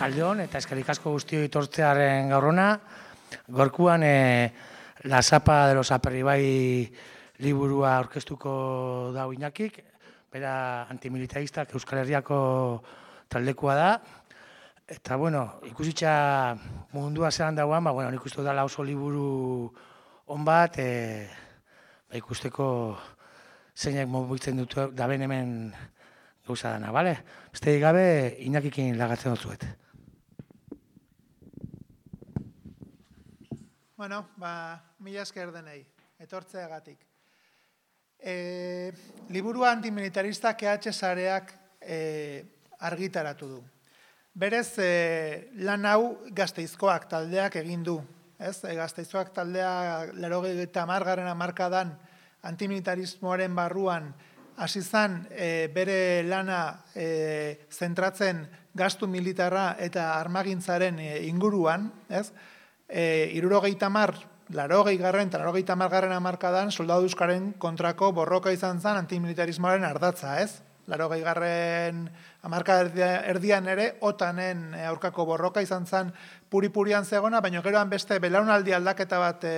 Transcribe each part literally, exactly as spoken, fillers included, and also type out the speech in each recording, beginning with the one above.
Arratsaldeon eta eskerrik asko guztioi etortzearen gaurona. Gorkuan e, La Sapa de los Aperribai liburua aurkeztuko da Iñakik, bera antimilitaristak Euskal Herriako taldekoa da. Eta, bueno, ikusitza mundua zelan dagoan, ba, bueno, nik uste dela oso liburu on bat, e, ba, ikusteko zeinak mobitzen dut da ben hemen gauza dana, bale? Besterik gabe, Iñakikin lagatzen dutzuet. Bueno, ba, mila esker denei, etortzeagatik. E, liburua antimilitarista K H sareak e, argitaratu du. Berez, e, lan hau Gasteizkoak taldeak egin du. Ez? E, Gasteizkoak taldea laurogeita hamargarren hamarkadan antimilitarismoaren barruan hasi zen e, bere lana e, zentratzen gastu militarra eta armagintzaren e, inguruan, ez? E, hirurogeita hamar, laurogei garren eta laurogeita hamargarren hamarkadan soldadu euskaren kontrako borroka izan zen antimilitarismoaren ardatza, ez? Laurogei garren hamarka erdian ere otanen aurkako borroka izan zen puri-purian zegona, baina geroan beste belaunaldi aldaketa bat e,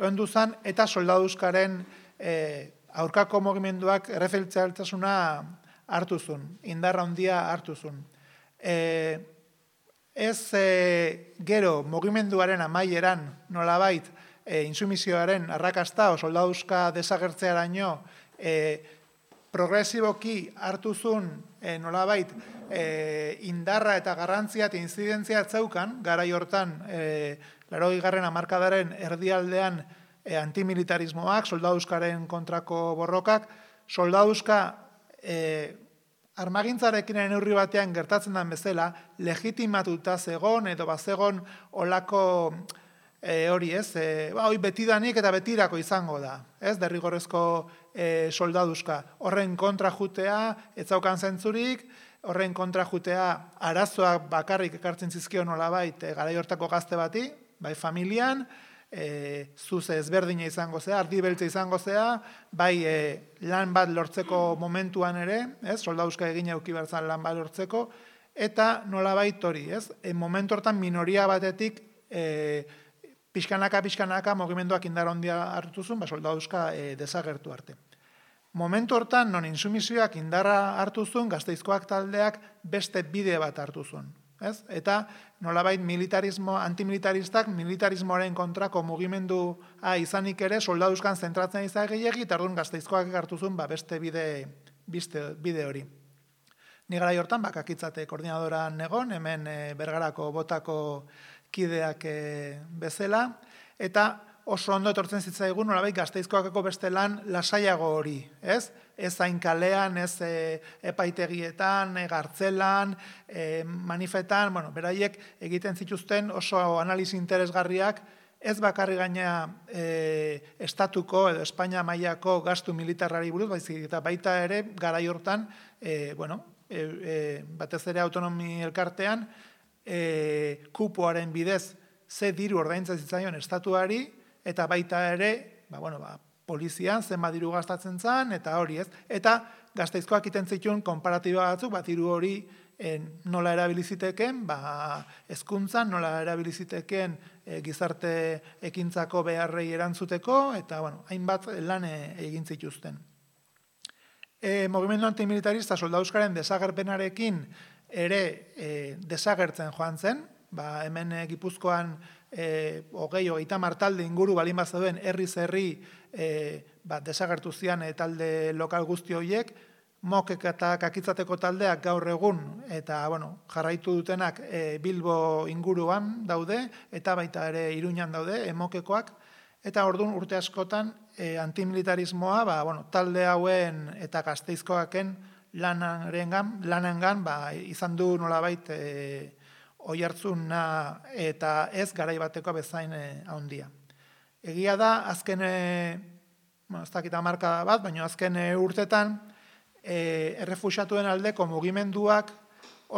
ondu zen eta soldadu euskaren e, aurkako mugimenduak erreferentzialtasuna hartu zuen, indarra handia hartu zuen. E, ez e, gero mugimenduaren amaieran nolabait e, insumisioaren arrakasta o soldaduska desagertzearaino e, progresiboki hartu zuen e, nolabait e, indarra eta garrantzia eta inzidentzia zeukan, garai hortan e, laurogei garren hamarkadaren erdialdean e, antimilitarismoak, soldaduzkaren kontrako borrokak, soldaduzka e, armagintzarekin neurri batean gertatzen den bezala, legitimatuta zegon edo bazegon olako e, hori ez, e, ba, hori betidanik eta betirako izango da, ez, derrigorrezko e, soldaduzka. Horren kontra jutea, ez zaukan zentzurik, horren kontra jutea arazoak bakarrik ekartzen zizkio nolabait e, garai hortako gazte bati, bai familian, E, zuze ezberdina izango zea, ardi beltza izango zea, bai e, lan bat lortzeko momentuan ere, ez, soldaduzka egina euki berzan lan bat lortzeko, eta nolabait hori, ez, e, momentu hortan minoria batetik e, pixkanaka, pixkanaka mugimenduak indar handia hartu zuen, ba, soldaduzka e, desagertu arte. Momentu hortan, non insumisioak indarra hartu zuen, Gasteizkoak taldeak beste bide bat hartu zuen. Ez? Eta nolabait militarismo, antimilitaristak militarismoaren kontrako mugimendua izanik ere soldaduzkan zentratzen izan gehiagi, eta orduan Gasteizkoak hartu zuen ba, beste bide, biste, bide hori. Ni garai hortan bakakitzate koordinadoran egon, hemen e, Bergarako botako kideak e, bezala, eta oso ondo etortzen zitzaigun nolabait Gasteizkoakeko beste lan lasaiago hori, ez? Ez hain kalean, ez e, epaitegietan, e, gartzelan, e, manifetan, bueno, beraiek egiten zituzten oso analizi interesgarriak, ez bakarri gaina e, estatuko edo Espainia mailako gastu militarrari buruz, baizik eta baita ere garai hortan, e, bueno, e, e, batez ere autonomi elkartean, e, kupoaren bidez ze diru ordaintzen zitzaion estatuari, eta baita ere, ba, bueno, ba, polizian zenbat diru gastatzen zen, eta hori ez. Eta Gasteizkoak egiten zituen konparatiba batzuk, ba, diru hori en, nola erabiliziteken, ba, hezkuntzan nola erabiliziteken e, gizarte ekintzako beharrei erantzuteko, eta bueno, hainbat lan egin zituzten. E, Mugimendu antimilitarista soldaduzkaren desagerpenarekin ere e, desagertzen joan zen, ba, hemen e, Gipuzkoan E, hogei, hogeita hamar talde inguru balin bat zeuden herriz herri e, ba, desagertu zian e, talde lokal guzti horiek, mokek eta kakitzateko taldeak gaur egun eta bueno, jarraitu dutenak e, Bilbo inguruan daude eta baita ere Iruñan daude emokekoak, eta orduan urte askotan e, antimilitarismoa ba, bueno, talde hauen eta Gasteizkoaken lanengan, lanengan ba, izan du nolabait e, oihartzuna eta ez garai bateko bezain handia. Egia da, azken, bueno, ez dakit hamarkada bat, baina azken urtetan e, errefuxiatuen aldeko mugimenduak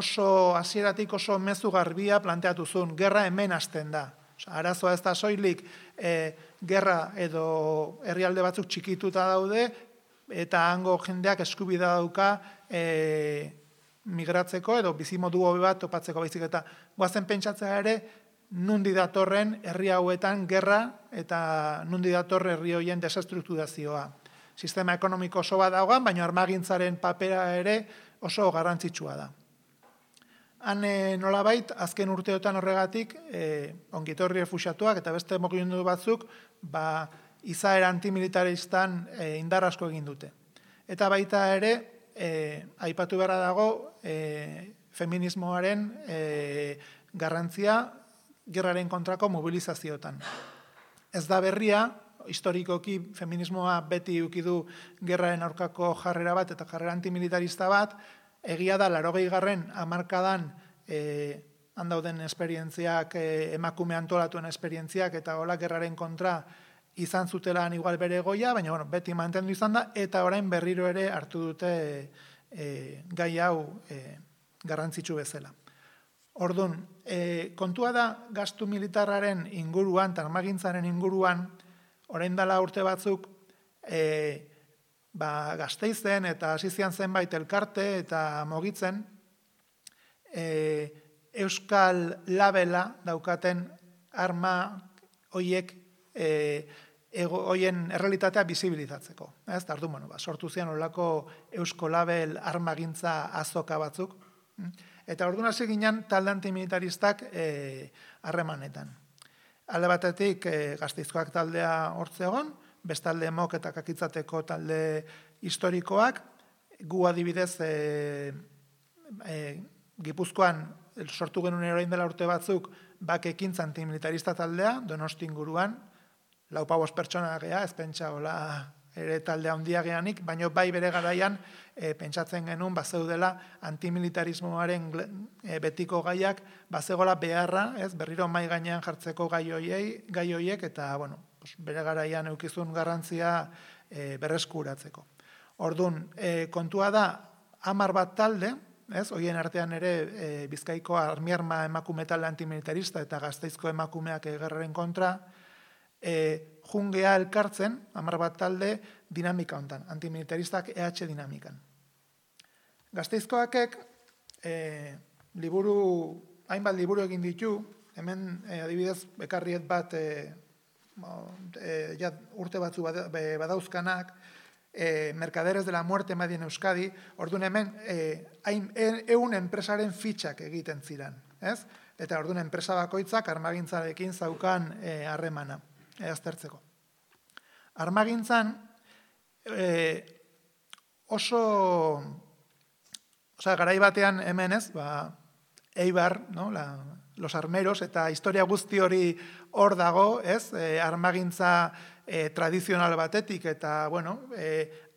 oso hasieratik oso mezu garbia planteatu zuen, gerra hemen hasten da. Osa, arazoa ez da soilik e, gerra edo herrialde batzuk txikituta daude, eta hango jendeak eskubidea dauka e, migratzeko edo bizimodu hobe bat topatzeko, baizik eta goazen pentsatzea ere nundi datorren herri hauetan gerra eta nundi dator herri hoien desestrukturazioa. Sistema ekonomiko oso bat dagoan, baina armagintzaren papera ere oso garrantzitsua da. Han nolabait, azken urteotan horregatik, ongitorri refuxiatuak eta beste mugimendu batzuk, ba, izaera antimilitaristan indar asko egin dute. Eta baita ere, aipatu beharra dago, feminismoaren garrantzia gerraren kontrako mobilizazioetan. Ez da berria, historikoki feminismoa beti ukidu gerraren aurkako jarrera bat eta jarrera antimilitarista bat, egia da, larogei garren hamarkadan handauden esperientziak, emakume antolatuen esperientziak eta hola gerraren kontra izan zutelan igual bere goia, baina bueno, beti mantendu izan da, eta orain berriro ere hartu dute gai hau garrantzitsu bezala. Orduan, kontua da gastu militarraren inguruan, armagintzaren inguruan, orain dela urte batzuk, ba, Gasteizen eta hasizian zenbait elkarte eta mogitzen, Euskal Labela daukaten arma hoiek hoien errealitatea bisibilizatzeko. Ez, eta orduan, bueno, ba, sortu zian olako Eusko Label armagintza azoka batzuk, eta orduan hasi ginen talde antimilitaristak harremanetan. Alde batetik Gasteizkoak taldea hortze egon, bestalde mok eta kakitzateko talde historikoak, gu adibidez Gipuzkoan sortu genuen orain dela urte batzuk bakekintza antimilitarista taldea, Donosti inguruan, lau pabos pertsona gea, ez pentsa hola ere taldea handia geanik, baina bai bere garaian pentsatzen genuen bazeudela antimilitarismoaren betiko gaiak bazegola beharra, ez berriro mai gainean jartzeko gai hoiei, gai hoiek eta bueno, bere garaian eukizun garrantzia berreskuratzeko. Orduan, kontua da hamar bat talde, ez, hoien artean ere Bizkaiko armiarma emakume talde antimilitarista eta Gasteizko emakumeak gerraren kontra, jungea elkartzen, hamar bat talde, dinamika hontan, antimilitaristak E H dinamikan. Gasteizkoakek liburu, hainbat liburu egin ditu, hemen adibidez bekarriet bat urte batzu badauzkanak, Mercaderes de la Muerte Madien Euskadi, orduan hemen eun enpresaren fitxak egiten ziren, ez? Eta orduan enpresa bakoitzak armagintzarekin zaukan harremana, aztertzeko. Armagintzan oso, osea, garai batean hemen ez, ba, Eibar, no, la, los armeros, eta historia guzti hori hor dago, ez, armagintza tradizional batetik, eta, bueno,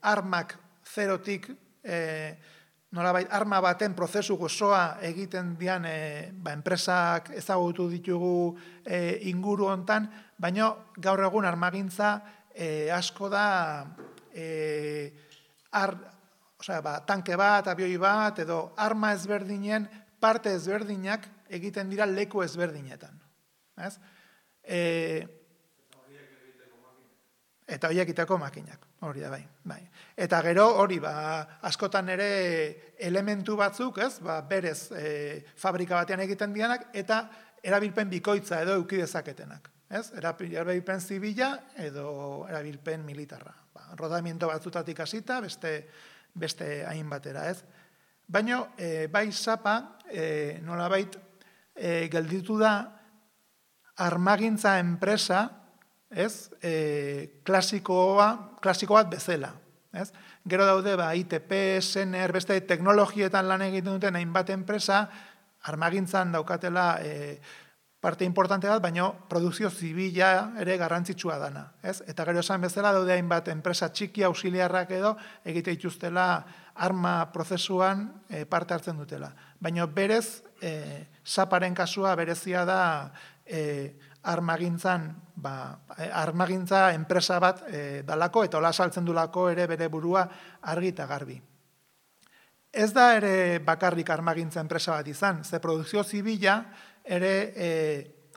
armak zerotik, nolabait, arma baten prozesu gozoa egiten dian enpresak ezagutu ditugu inguru hontan, baina gaur egun armagintza asko da tanke bat, abioi bat, edo arma ezberdinen parte ezberdinak egiten dira leku ezberdinetan. Eta horiek egiteko makinak, hori da bai, bai. Eta gero hori, ba, askotan ere elementu batzuk, ez, ba, berez fabrika batean egiten dianak, eta erabilpen bikoitza edo eduki dezaketenak. Ez? Erabilpen zibila edo erabilpen militarra. Ba, rodamiento batzutatik hasita, beste, beste hain batera, ez? Baina, bai zapa, nolabait, gelditu da armagintza enpresa, ez, klasikoa, klasiko bat bezala. Ez? Gero daude, ba, I T P, Sener, beste teknologietan lan egiten duten hainbat enpresa, armagintzan daukatela parte importante bat, baina produkzio zibila ere garrantzitsua dana. Ez? Eta gero esan bezala daude hainbat enpresa txiki auxiliarrak edo egite dituztela arma prozesuan parte hartzen dutela. Baina berez, zaparen kasua berezia da armagintzan, ba, armagintza enpresa bat dalako eta hola saltzen dulako ere bere burua argi eta garbi. Ez da ere bakarrik armagintza enpresa bat izan, ze produkzio zibila ere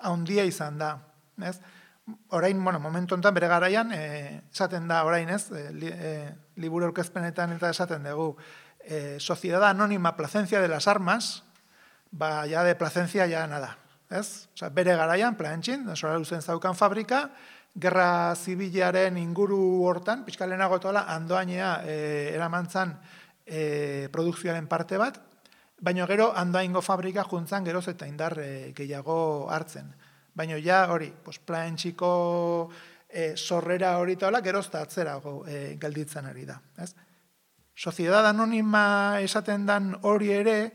haundia izan da. Ez? Orain, bueno, momentu honetan bere garaian, esaten da orain, ez, liburu aurkezpenetan eta esaten dugu, eh, Sociedad Anónima Placencia de las Armas, ba, ja de Placencia ja nada. Ez? Osa, bere garaian, Plantxin, Sora Luzen zaukan fabrika, gerra zibilaren inguru hortan, pixka lehenago tola, Andoainea e, eramantzan e, produkzioaren parte bat, baina gero Andoaingo fabrika juntzan geroz eta indar e, gehiago hartzen. Baina ja hori, pues, Plantxiko e, sorrera hori tola, geroz eta atzerago e, gelditzen ari da. Ez? Sociedad Anónima esaten dan hori ere,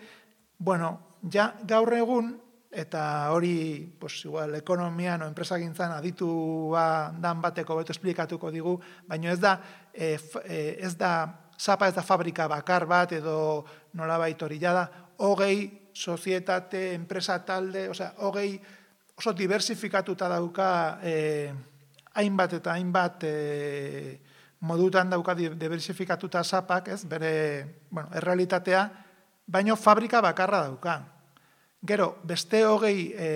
bueno, ja gaur egun, eta hori, pues, igual, ekonomian o enpresagintzan aditua dan bateko beto esplikatuko digu, baina ez da, e, ez da, zapa ez da fabrika bakar bat, edo nolabait hori da, hogei sozietate, enpresa talde, osea, hogei oso diversifikatuta dauka e, hainbat eta hainbat e, modutan dauka diversifikatuta zapak, ez, bere, bueno, errealitatea, baina fabrika bakarra dauka. Gero, beste hogei e,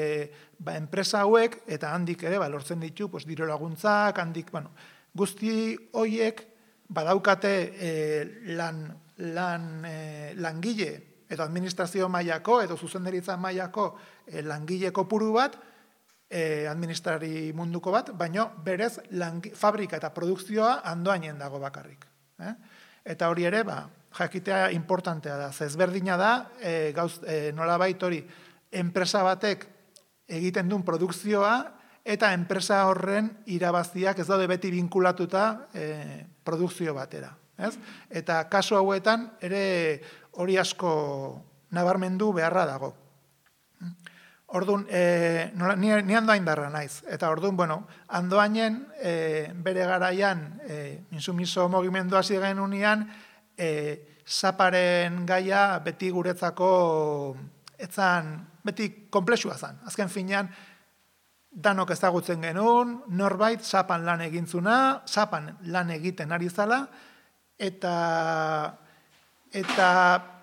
ba, enpresa hauek, eta handik ere, ba, lortzen ditu, pues, diro laguntzak, handik, bueno, guzti hoiek badaukate e, lan, lan, e, langile, edo administrazio mailako, edo zuzendaritza mailako e, langile kopuru bat, e, administrari munduko bat, baina berez langi, fabrika eta produkzioa Andoainen dago bakarrik. Eh? Eta hori ere, ba, jakitea importantea da, zezberdina da, e, gauz, e, nolabait hori, enpresa batek egiten duen produkzioa, eta enpresa horren irabaziak ez daude beti vinkulatuta e, produkzio batera. Ez? Eta kasu hauetan ere hori asko nabarmendu beharra dago. Orduan, e, nola, ni, ni Andoain darra naiz. Eta orduan, bueno, Andoainen e, bere garaian e, insumiso mugimendua ziren unian, E, zaparen gaia beti guretzako etzan, beti komplexua zan. Azken finean, danok ezagutzen genuen, norbait zapan lan egintzuna, zapan lan egiten ari zala, eta, eta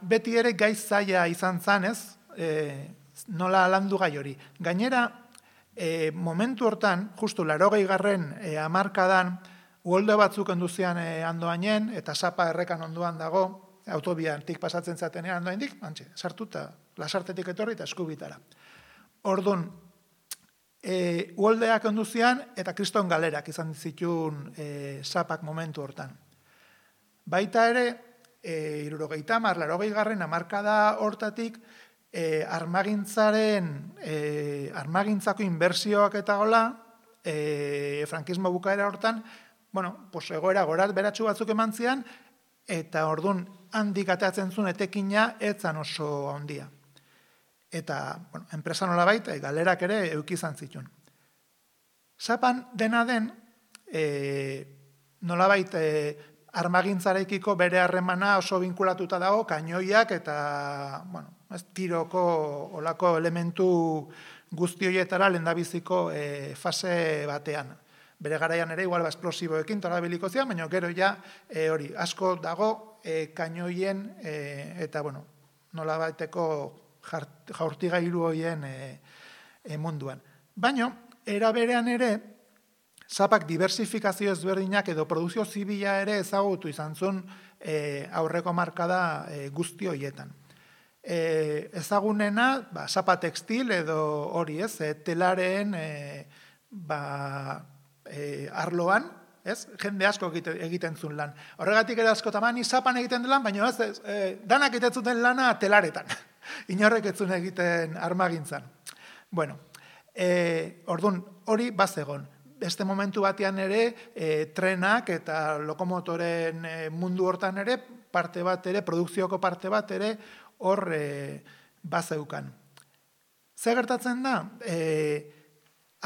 beti ere gai zaila izan zan, ez? E, nola landu gai hori. Gainera, e, momentu hortan, justu larogei garren e, hamarkadan, uholde batzuk enduzian e, Andoainen, eta zapa errekan onduan dago, autobiantik pasatzen zatenean Andoaindik, antxe, sartuta, lasartetik etorri eta eskubitara. Orduan, e, uholdeak enduzian, eta kriston galerak izan zituen e, zapak momentu hortan. Baita ere, e, irurogeita hamar, larogei garren hamarkada hortatik, e, armagintzaren, e, armagintzako inbertsioak eta gola, e, frankismo bukaera hortan, bueno, pues egoera gorat beratxu batzuk eman zian, eta orduan handik ateatzen zuen etekina etzan oso handia. Eta, bueno, enpresa nolabait, galerak ere eukizan zituen. Zapan dena den, e, nolabait e, armagintzarekiko bere harremana oso vinkulatuta dago, kainoiak eta, bueno, ez, tiroko olako elementu guzti horietara lehendabiziko e, fase batean. Bere garaian ere, igual, ba, esplosiboekin torabiliko zian, baina gero ja, e, hori, asko dago e, kainoien e, eta, bueno, nola baiteko jaurtigailu horien e, e, munduan. Baina, era berean ere, zapak diversifikazio ezberdinak edo produzio zibila ere ezagutu izan zuen e, aurreko markada e, guzti horietan. E, ezagunena, ba, zapa tekstil edo hori ez, e, telaren, e, ba, E, arloan, ez? Jende asko egiten, egiten zuen lan. Horregatik ere asko tamani zapan egiten lan, baina ez, ez e, danak egiten zuten lana telaretan. Inorrek ez zuen egiten armagintzan. Bueno, e, orduan hori bazegon. Beste momentu batean ere, e, trenak eta lokomotoren e, mundu hortan ere, parte bat ere, produkzioko parte bat ere, hor e, bazeukan. Zer gertatzen da? E,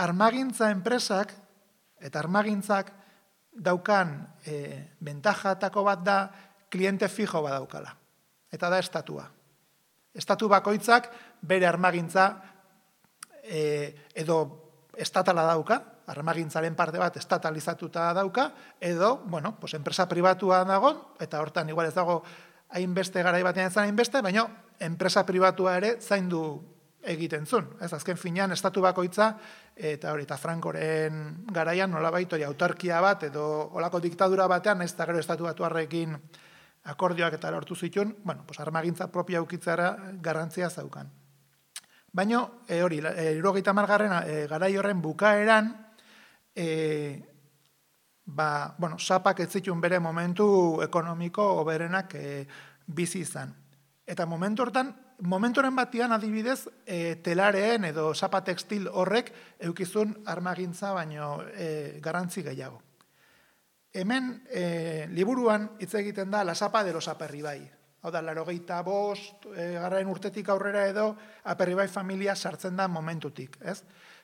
armagintza enpresak, eta armagintzak daukan e, bentajatako bat da kliente fijo bat daukala. Eta da estatua. Estatu bakoitzak bere armagintza e, edo estatala dauka, armagintzaren parte bat estatalizatuta dauka, edo, bueno, pues enpresa pribatua dago, eta hortan igual ez dago hainbeste garai batean ezan hainbeste, baina enpresa pribatua ere zaindu egiten zuen. Ez, azken finean, estatu bakoitza, eta hori, eta Frankoren garaian nolabait hori autarkia bat, edo olako diktadura batean, ez da gero estatu batuarrekin akordioak eta lortu zituen, bueno, pues armagintza propia ukitzara garrantzia zaukan. Baina, e, hori, hirurogeita hamargarren e, garai horren bukaeran, e, ba, bueno, sapak ez zituen bere momentu ekonomiko oberenak e, bizi izan. Eta momentu hortan, momentoren batian adibidez, e, telareen edo sapa tekstil horrek eukizun armagintza baino e, garrantzi gehiago. Hemen, e, liburuan hitz egiten da la sapa de los Aperribai. Hau da, laurogeita bost, e, garraen urtetik aurrera edo Aperribai familia sartzen da momentutik. Ez?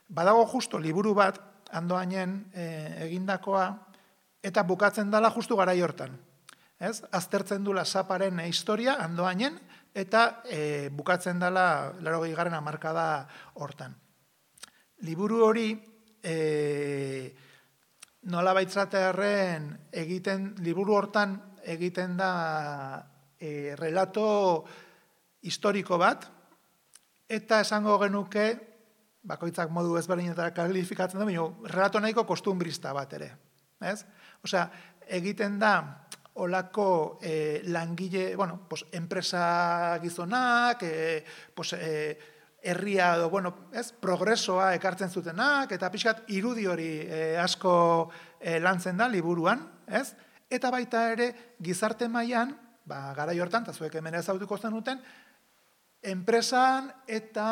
Badago justo liburu bat, Andoainen e, egindakoa, eta bukatzen dela justu garai hortan. Ez? Aztertzen du la saparen historia Andoainen, eta e, bukatzen dela laurogei garren hamarkada hortan. Liburu hori, e, nola baitzatearen egiten, liburu hortan egiten da e, relato historiko bat, eta esango genuke, bakoitzak modu ezberdinetara kalifikatzen da, baina relato nahiko kostumbrista bat ere. Ez? Osea, egiten da olako eh, langile, bueno, pues, enpresa gizonak, eh, pues, eh, herria edo, bueno, ez, progresoa ekartzen zutenak, eta pixkat irudi hori eh, asko eh, lantzen da liburuan, ez? Eta baita ere, gizarte mailan, ba, garai hortan, eta zuek hemen ezautuko zenuten, enpresan eta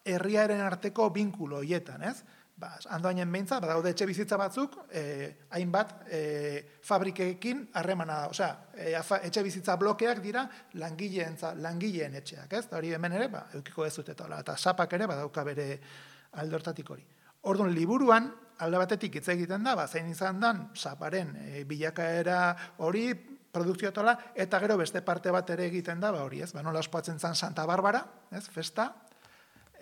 herriaren arteko binkulo hietan, ez? Ba, Andoainen behintzat, badaude etxe bizitza batzuk, eh, hainbat eh, fabrikekin harremana da. Osea, eh, etxe bizitza blokeak dira langileen, langileen etxeak, ez? Hori hemen ere, ba, eukiko ez dut eta, eta sapak ere badauka bere alde hortatik hori. Orduan, liburuan, alde batetik hitz egiten da, ba, zein izan dan, saparen e, bilakaera hori, produkziotola, eta gero beste parte bat ere egiten da, ba, hori, ez? Ba, nola ospatzen zan Santa Barbara, ez? Festa,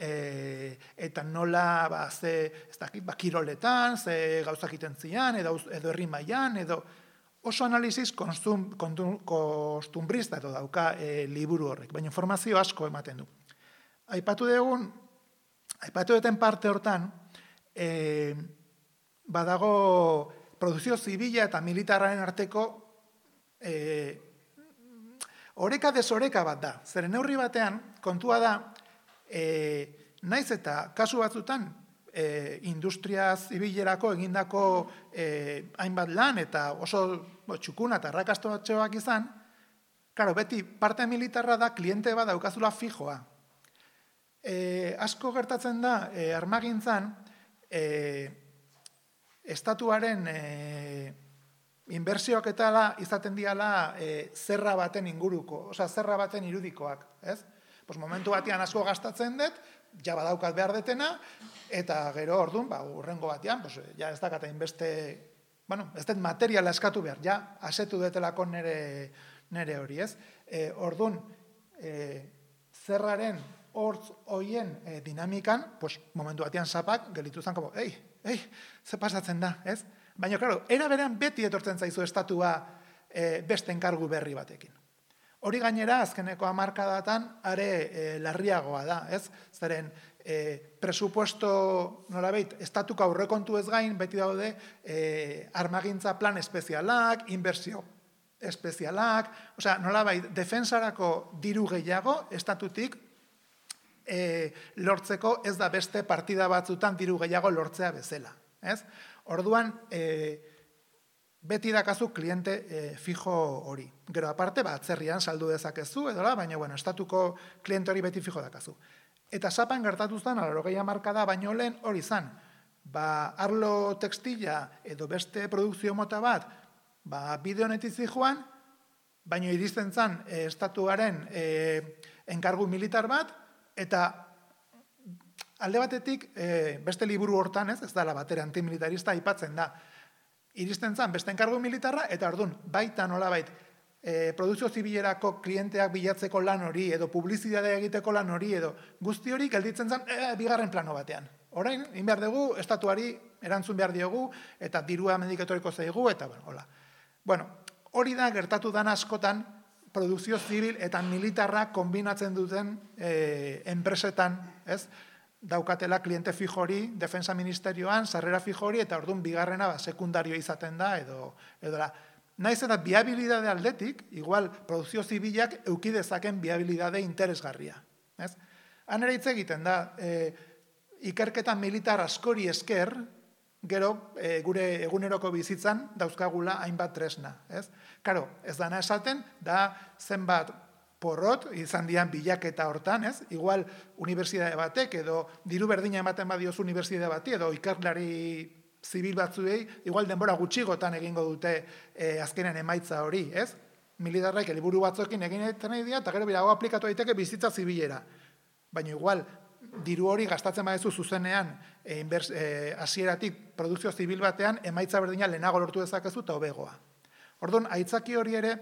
E, eta nola ba, ze, ez dakit, ba, kiroletan, ze gauzak iten zian, edo, edo herri mailan, edo oso analiziz konstum, kontum, kostumbrista edo dauka e, liburu horrek, baina informazio asko ematen du. Aipatu dugun, aipatu duten parte hortan, e, badago produzio zibila eta militarraren arteko e, oreka desoreka bat da. Zeren neurri batean, kontua da, E, naiz eta kasu batzutan e, industria zibilerako egindako e, hainbat lan eta oso bo, txukuna eta arrakastatxoak izan, claro, beti parte militarra da kliente bat daukazula fijoa. E, asko gertatzen da e, armagintzan e, estatuaren e, inbertsioak eta izaten diala e, zerra baten inguruko, osea zerra baten irudikoak, ez? Pues momentu batean asko gastatzen dut, ja badaukat behar detena, eta gero orduan, ba, urrengo batean, pues, ja ez dakata inbeste, bueno, ez dut materiala eskatu behar, ja, asetu detelako nere, nere hori, ez? E, orduan, e, zerraren hortz hoien e, dinamikan, pues, momentu batean sapak, gelitu zen, como, ei, ei, ze pasatzen da, ez? Baina, klaro, era berean beti etortzen zaizu estatua e, beste enkargu berri batekin. Hori gainera, azkeneko hamarkadatan, are e, larriagoa da, ez? Zeren, e, presupuesto, nolabait, estatuko aurrekontu ez gain, beti daude, e, armagintza plan espezialak, inbertsio espezialak, osea, nolabait, defensarako diru gehiago, estatutik, e, lortzeko ez da beste partida batzutan diru gehiago lortzea bezala, ez? Orduan, e, beti dakazu kliente e, fijo hori. Gero aparte, ba, atzerrian saldu dezakezu, edola, baina, bueno, estatuko kliente hori beti fijo dakazu. Eta sapan gertatu zen, laurogei hamarkada baino lehen hori zan. Ba, arlo tekstila edo beste produkzio mota bat, ba, bide honetik zijoan, baino iristen zan e, estatuaren e, enkargu militar bat, eta alde batetik, e, beste liburu hortan ez, ez dala batere antimilitarista aipatzen da, iristen zan beste enkargu militarra, eta orduan, baita nolabait, e, produzio zibilerako klienteak bilatzeko lan hori, edo publizidadea egiteko lan hori, edo guzti hori gelditzen zan, e, bigarren plano batean. Orain, in behar dugu, estatuari erantzun behar diogu, eta dirua mendiketoriko zaigu, eta, bueno, hola. Bueno, hori da gertatu dan askotan, produzio zibil eta militarra kombinatzen duten e, enpresetan, ez? Daukatela kliente fijo hori, defensa ministerioan, sarrera fijo hori, eta orduan bigarrena ba, sekundario izaten da, edo, edo la, Naiz eta biabilidade aldetik, igual produzio zibilak eukidezaken biabilidade interesgarria. Ez? Han ere hitz egiten da, e, ikerketa militar askori esker, gero e, gure eguneroko bizitzan dauzkagula hainbat tresna. Ez? Karo, ez dana esaten, da zenbat porrot, izan dian bilaketa hortan, ez? Igual, unibertsitate batek, edo diru berdina ematen badioz unibertsitate bati, edo ikerlari zibil batzuei, igual denbora gutxigotan egingo dute e, azkenen emaitza hori, ez? Militarrek helburu batzuekin egin nahi dira, eta gero birago aplikatu daiteke bizitza zibilera. Baina igual, diru hori gastatzen badezu zuzenean, e, inbers, e, hasieratik produkzio zibil batean, emaitza berdina lehenago lortu dezakezu eta hobegoa. Orduan, aitzaki hori ere,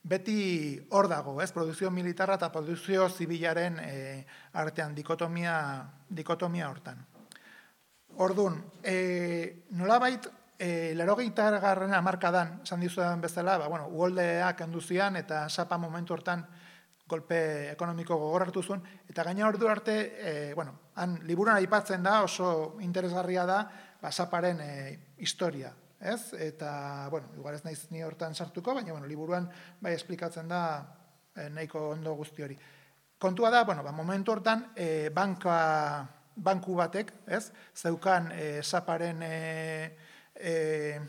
beti hor dago, ez? Produkzio militarra eta produkzio zibilaren e, artean, dikotomia, dikotomia hortan. Orduan, e, nolabait, e, larogeita garren hamarkadan, esan dizudan bezala, ba, bueno, uholdeak enduzian eta sapa momentu hortan golpe ekonomiko gogor hartu zuen, eta gaina ordu arte, e, bueno, han liburuan aipatzen da, oso interesgarria da, ba, saparen e, historia, ez? Eta, bueno, igual ez naiz ni hortan sartuko, baina, bueno, liburuan bai esplikatzen da e, nahiko ondo guzti hori. Kontua da, bueno, ba, momentu hortan, e, banka... banku batek, ez, zeukan e, saparen, e, e,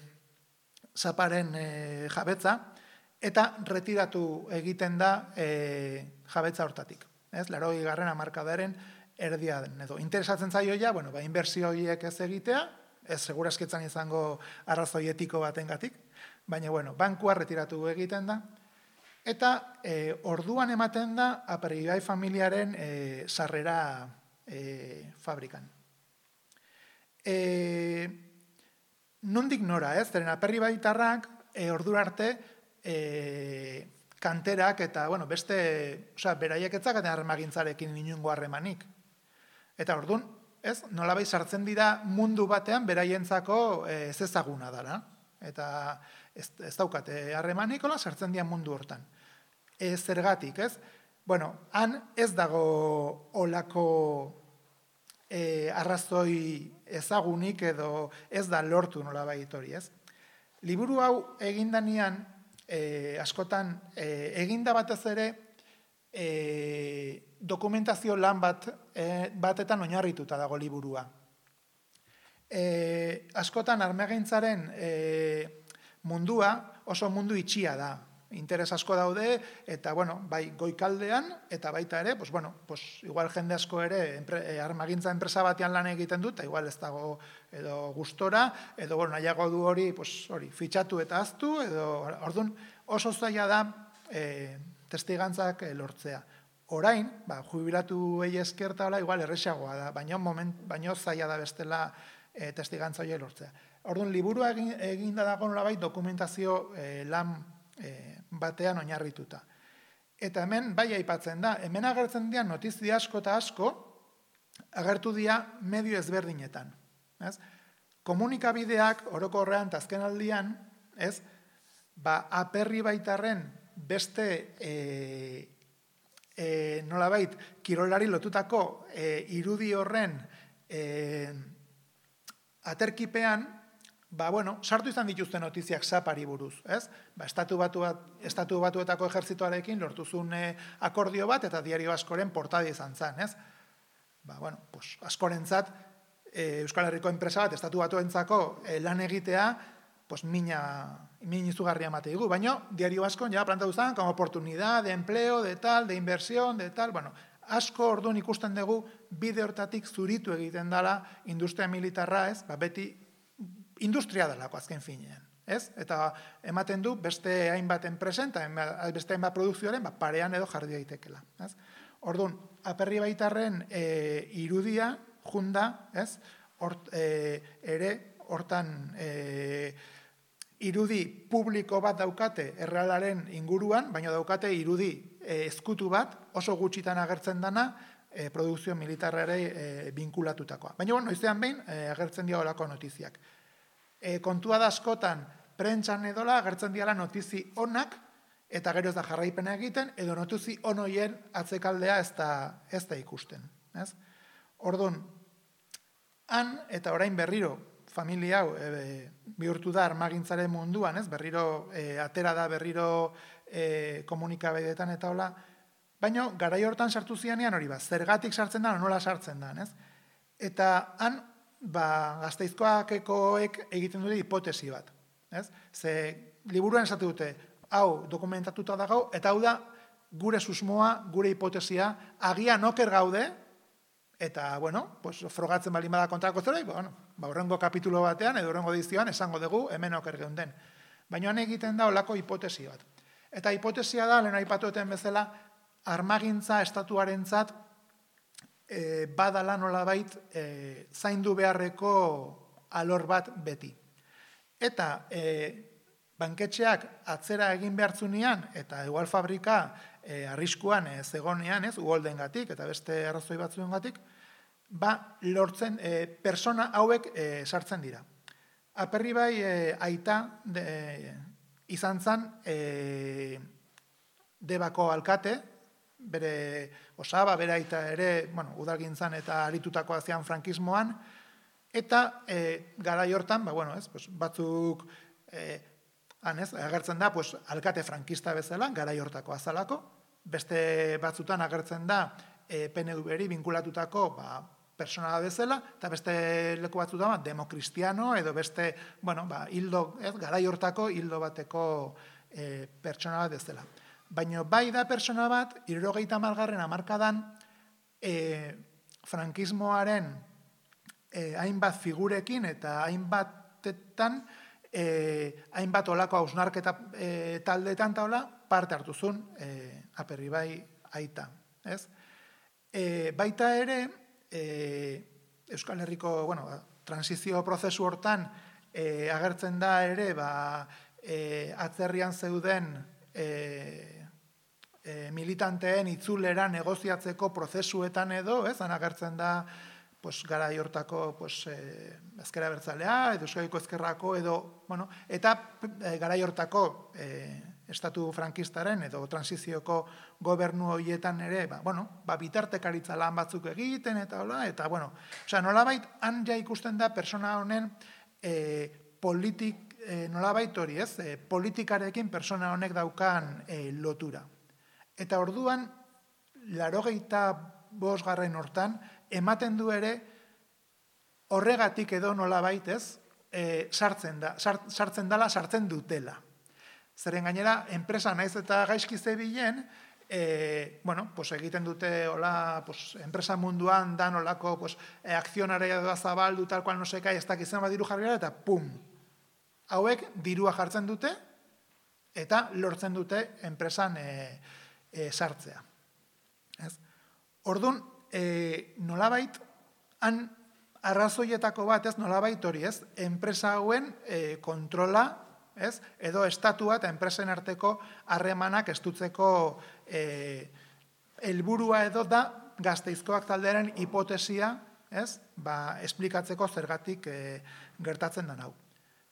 saparen e, jabetza, eta retiratu egiten da e, jabetza hortatik. Ez, larogei garren hamarkadaren erdia den. Edo, interesatzen zaio ja, bueno, ba, inbertsio horiek ez egitea, ez segurazketzan izango arrazoi etiko batengatik, baina, bueno, bankua retiratu egiten da, eta e, orduan ematen da Aperribai familiaren e, sarrera E, fabrikan. E, nondik nora, ez? Zeren Aperribaitarrak e, ordura arte e, kanterak eta, bueno, beste, osea, beraiek etzaken armagintzarekin inungo harremanik. Eta orduan, ez? Nolabai sartzen dira mundu batean beraientzako e, ez ezaguna dara. Eta ez, ez daukate harremanik, hola, sartzen dira mundu hortan. E, zergatik, ez? Bueno, han ez dago olako e, arrazoi ezagunik edo ez da lortu nolabait hori, ez? Liburu hau egindanean, e, askotan, e, eginda batez ere, e, dokumentazio lan bat e, batetan oinarrituta dago liburua. E, askotan armagintzaren e, mundua oso mundu itxia da. Interes asko daude, eta, bueno, bai goikaldean, eta baita ere, pues, bueno, pues, igual jende asko ere empre, armagintza enpresa batean lan egiten dut, eta igual ez dago edo gustora, edo, bueno, nahiago du hori, pues, hori, fitxatu eta aztu, edo, orduan, oso zaila da e, testigantzak lortzea. Orain, ba, jubilatu egi eskertala, igual erresagoa da, baino, moment, baino zaila da bestela e, testigantza hori lortzea. Orduan, liburua egin, eginda dago nolabait dokumentazio e, lan e, batean oinarrituta. Eta hemen bai aipatzen da, hemen agertzen dira notizia asko eta asko agertu dira medio ezberdinetan. Ez? Komunikabideak orokorrean eta azken aldian, ez? Ba, Aperribaitarren beste e, e, nolabait kirolari lotutako e, irudi horren e, aterkipean, ba, bueno, sartu izan dituzte notiziak sapari buruz, ez? Ba, estatu, batu bat, estatu batuetako ejertzitoarekin lortuzun e, akordio bat, eta diario askoren portada izan zen, ez? Ba, bueno, pues, askorentzat, e, Euskal Herriko enpresa bat, estatu batuentzako e, lan egitea, pues, mina, min izugarria mate digu, baina diario askon ja plantatu zen, como oportunidad de empleo, de tal, de inversión, de tal, bueno, asko orduan ikusten dugu bide hortatik zuritu egiten dela industria militarra, ez? Ba, beti industria delako azken finean, ez? Eta ematen du beste hainbat enpresen, eta beste hainbat produkzioaren ba, parean edo jarri daitekela, ez? Orduan, Aperribaitarren e, irudia, junda, ez? Hort, e, ere, hortan e, irudi publiko bat daukate errealaren inguruan, baina daukate irudi e, ezkutu bat, oso gutxitan agertzen dana, e, produkzio militarrare e, binkulatutakoa. Baina, bueno, noizean behin, e, agertzen dira olako notiziak. E, kontua da askotan, prentsan edola, agertzen diala notizi onak, eta gero ez da jarraipena egiten, edo notizi onoien atzekaldea ez da, ez da ikusten. Ez? Orduan, han, eta orain berriro, familia hau e, bihurtu da armagintzaren munduan, ez? Berriro e, atera da, berriro e, komunikabideetan eta hola, baina garai hortan sartu zianean hori ba, zergatik sartzen da, nola sartzen da, ez? Eta han, ba, Gasteizkoakekoek egiten dute hipotesi bat, ez? Ze liburuan esatu dute, hau dokumentatuta dago, eta hau da gure susmoa, gure hipotesia, agian oker gaude, eta, bueno, pues, frogatzen bali bada kontrako zera, bueno, ba, horrengo kapitulo batean, edo horrengo edizioan, esango dugu, hemen oker geunden. Baina han egiten da olako hipotesi bat. Eta hipotesia da, lehen aipatueten bezala, armagintza estatuarentzat e, badala nolabait e, zaindu beharreko alor bat beti. Eta e, banketxeak atzera egin behartzunean, eta igual fabrika e, arriskuan e, zegonean, ez, uholdengatik eta beste arrazoi batzuengatik, ba, lortzen, e, persona hauek e, sartzen dira. Aperribai e, aita de, e, izan zan e, Debako alkate, bere osaba, bere aita ere, bueno, udalgintzan eta aritutako azian frankismoan, eta e, garai hortan, ba, bueno, ez, pues, batzuk e, han, ez, agertzen da, pues, alkate frankista bezala, garai hortako azalako, beste batzutan agertzen da e, P N V ri vinkulatutako ba, personala bezala, eta beste leku batzutan ba, demokristiano, edo beste, bueno, ba, hildo, ez, garai hortako hildo bateko e, pertsona bat bezala. Baina bai da pertsona bat, hirurogeita hamargarren hamarkadan, e, frankismoaren e, hainbat figurekin eta hainbatetan, e, hainbat olako hausnarketa e, taldeetan taula, parte hartuzun e, Aperribai aita. Ez? E, baita ere, e, Euskal Herriko, bueno, transizio prozesu hortan e, agertzen da ere, ba, e, atzerrian zeuden e, E, militanteen itzulera negoziatzeko prozesuetan edo, ez, han agertzen da, pues, garai hortako, pues, e, ezkera bertzalea, edo Euskadiko ezkerrako, edo, bueno, eta e, garai hortako e, estatu frankistaren edo transizioko gobernu horietan ere, ba, bueno, ba, bitartekaritza lan batzuk egiten, eta hola, eta, bueno, osea, nolabait, han ja ikusten da persona honen e, politik, e, nolabait hori, ez, e, politikarekin persona honek daukan e, lotura. Eta orduan, laurogeita bosgarren hortan, ematen du ere, horregatik edo nolabait ez, e, sartzen da, sart, sartzen dela, sartzen dutela. Zeren gainera, enpresa naiz eta gaizki zebilen, e, bueno, pues egiten dute, hola, pues, enpresa munduan dan olako, pues, e, akzionarea doa zabaldu, tal cual no se cae, ez dakitzen bat diru jarri gara, eta pum! Hauek dirua jartzen dute, eta lortzen dute enpresan e, E, sartzea. Ez? Orduan, e, nolabait, han arrazoietako bat, ez, nolabait hori, ez, enpresa hauen e, kontrola, ez, edo estatua eta enpresen arteko harremanak estutzeko e, helburua edo da Gasteizkoak taldearen hipotesia, ez, ba, esplikatzeko zergatik e, gertatzen den hau.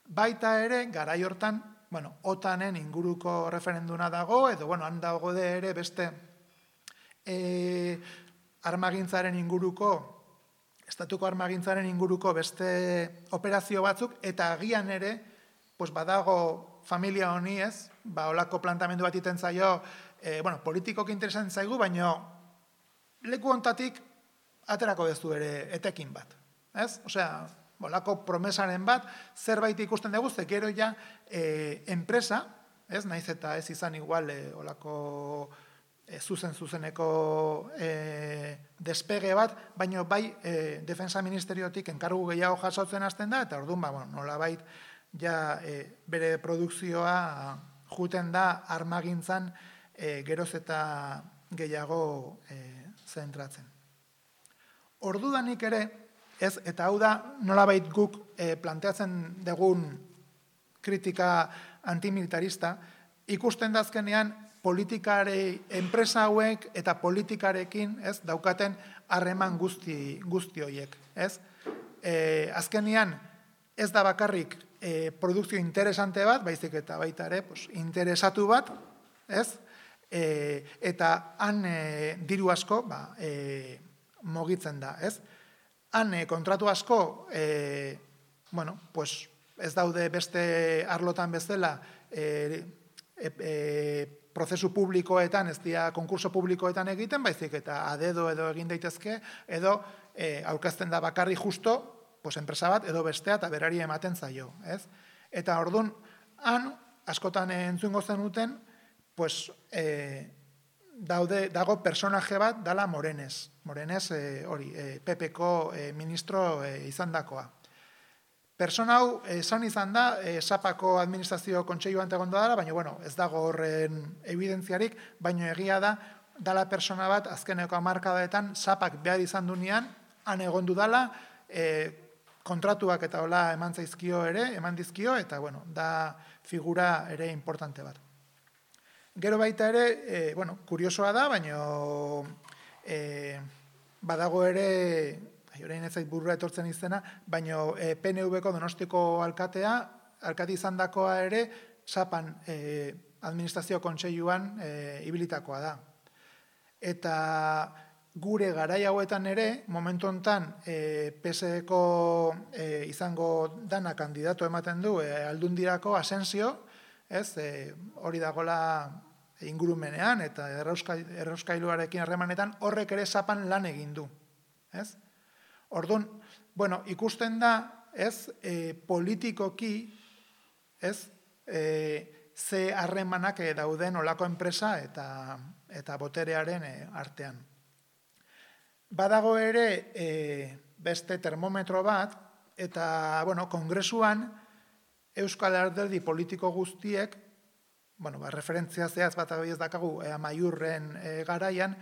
Baita ere, garai hortan, bueno, otanen inguruko referenduna dago, edo, bueno, han dago de ere beste e, armagintzaren inguruko, estatuko armagintzaren inguruko beste operazio batzuk, eta agian ere, pues badago familia honi ez, ba, olako plantamendu bat iten zaio, e, bueno, politikok interesan zaigu, baina leku hontatik aterako dezu ere etekin bat, ez? Osea, olako promesaren bat, zerbait ikusten dugu, ze gero ja e, enpresa, ez, naiz eta ez izan igual e, olako e, zuzen-zuzeneko e, despege bat, baina bai e, Defensa Ministeriotik enkargu gehiago jasotzen hasten da, eta orduan, ba, bueno, nolabait ja e, bere produkzioa juten da armagintzan e, geroz eta gehiago e, zentratzen. Ordudanik ere, ez, eta hau da nolabait guk e, planteatzen dugun kritika antimilitarista, ikusten dazkenean politikare, enpresa hauek eta politikarekin, ez, daukaten harreman guzti, guzti horiek, ez? E, azkenean ez da bakarrik e, produkzio interesante bat, baizik eta baita ere, pues, interesatu bat, ez? E, eta han e, diru asko, ba, e, mogitzen da, ez? Han kontratu asko e, bueno, pues ez daude beste arlotan bezala e, e, e, prozesu publikoetan, ez dira konkurso publikoetan egiten, baizik eta adedo edo egin daitezke, edo e, aurkezten da bakarri justo, pues, enpresa bat edo bestea eta berari ematen zaio, ez? Eta orduan, han, askotan entzungo zenuten, pues, e, daude, dago personaje bat dala Morenez. Morenez, e, hori, e, P P-ko e, ministro e, izan dakoa. Persona hau, esan izan da, e, Sapako administrazio kontseiluan egonda dela, baina, bueno, ez dago horren evidentziarik, baina egia da, dala persona bat, azkeneko hamarkadaetan, Sapak behar izan dunean, han egondu dala, e, kontratuak eta hola eman zaizkio ere, eman dizkio, eta, bueno, da figura ere importante bat. Gero baita ere, e, bueno, kuriosoa da, baina e, badago ere, orain ez zait burura etortzen izena, baina e, P N V-ko Donostiko alkatea, alkati izan dakoa ere, Sapan e, administrazio kontseiluan e, ibilitakoa da. Eta gure garai hauetan ere, momentu hontan e, P S E-ko e, izango dana kandidato ematen du e, Aldundirako Asensio, ez, e, hori dagola ingurumenean eta errauskailuarekin harremanetan horrek ere Sapan lan egin du, ez? Orduan, bueno, ikusten da, ez, e, politikoki, ez, e, ze harremanak e, dauden olako enpresa eta, eta boterearen e, artean. Badago ere e, beste termometro bat, eta, bueno, kongresuan Euskal Alderdi politiko guztiek, bueno, ba, referentzia zehaz bat abiez dakagu e, Amaiurren e, garaian,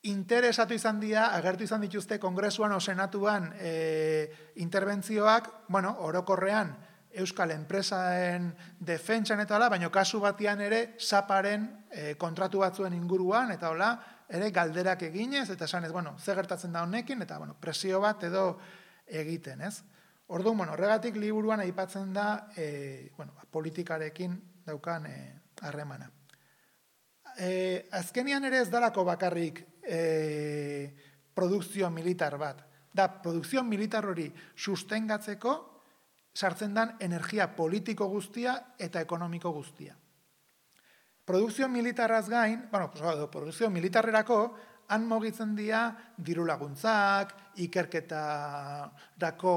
interesatu izan dira, agertu izan dituzte kongresuan o senatuan e, interbentzioak, bueno, orokorrean Euskal enpresaen defentsan eta hola, baina kasu batian ere Saparen e, kontratu batzuen inguruan, eta hola, ere galderak eginez, eta esan ez, bueno, ze gertatzen da honekin, eta, bueno, presio bat edo egiten, ez? Orduan, bueno, horregatik liburuan aipatzen da, e, bueno, politikarekin daukan harremana. E, azkenian ere ez dalako bakarrik e, produkzio militar bat. Da, produkzio militar hori sustengatzeko sartzen dan energia politiko guztia eta ekonomiko guztia. Produkzio militarraz gain, bueno, produkzio militarrerako han mugitzen dira diru laguntzak, ikerketarako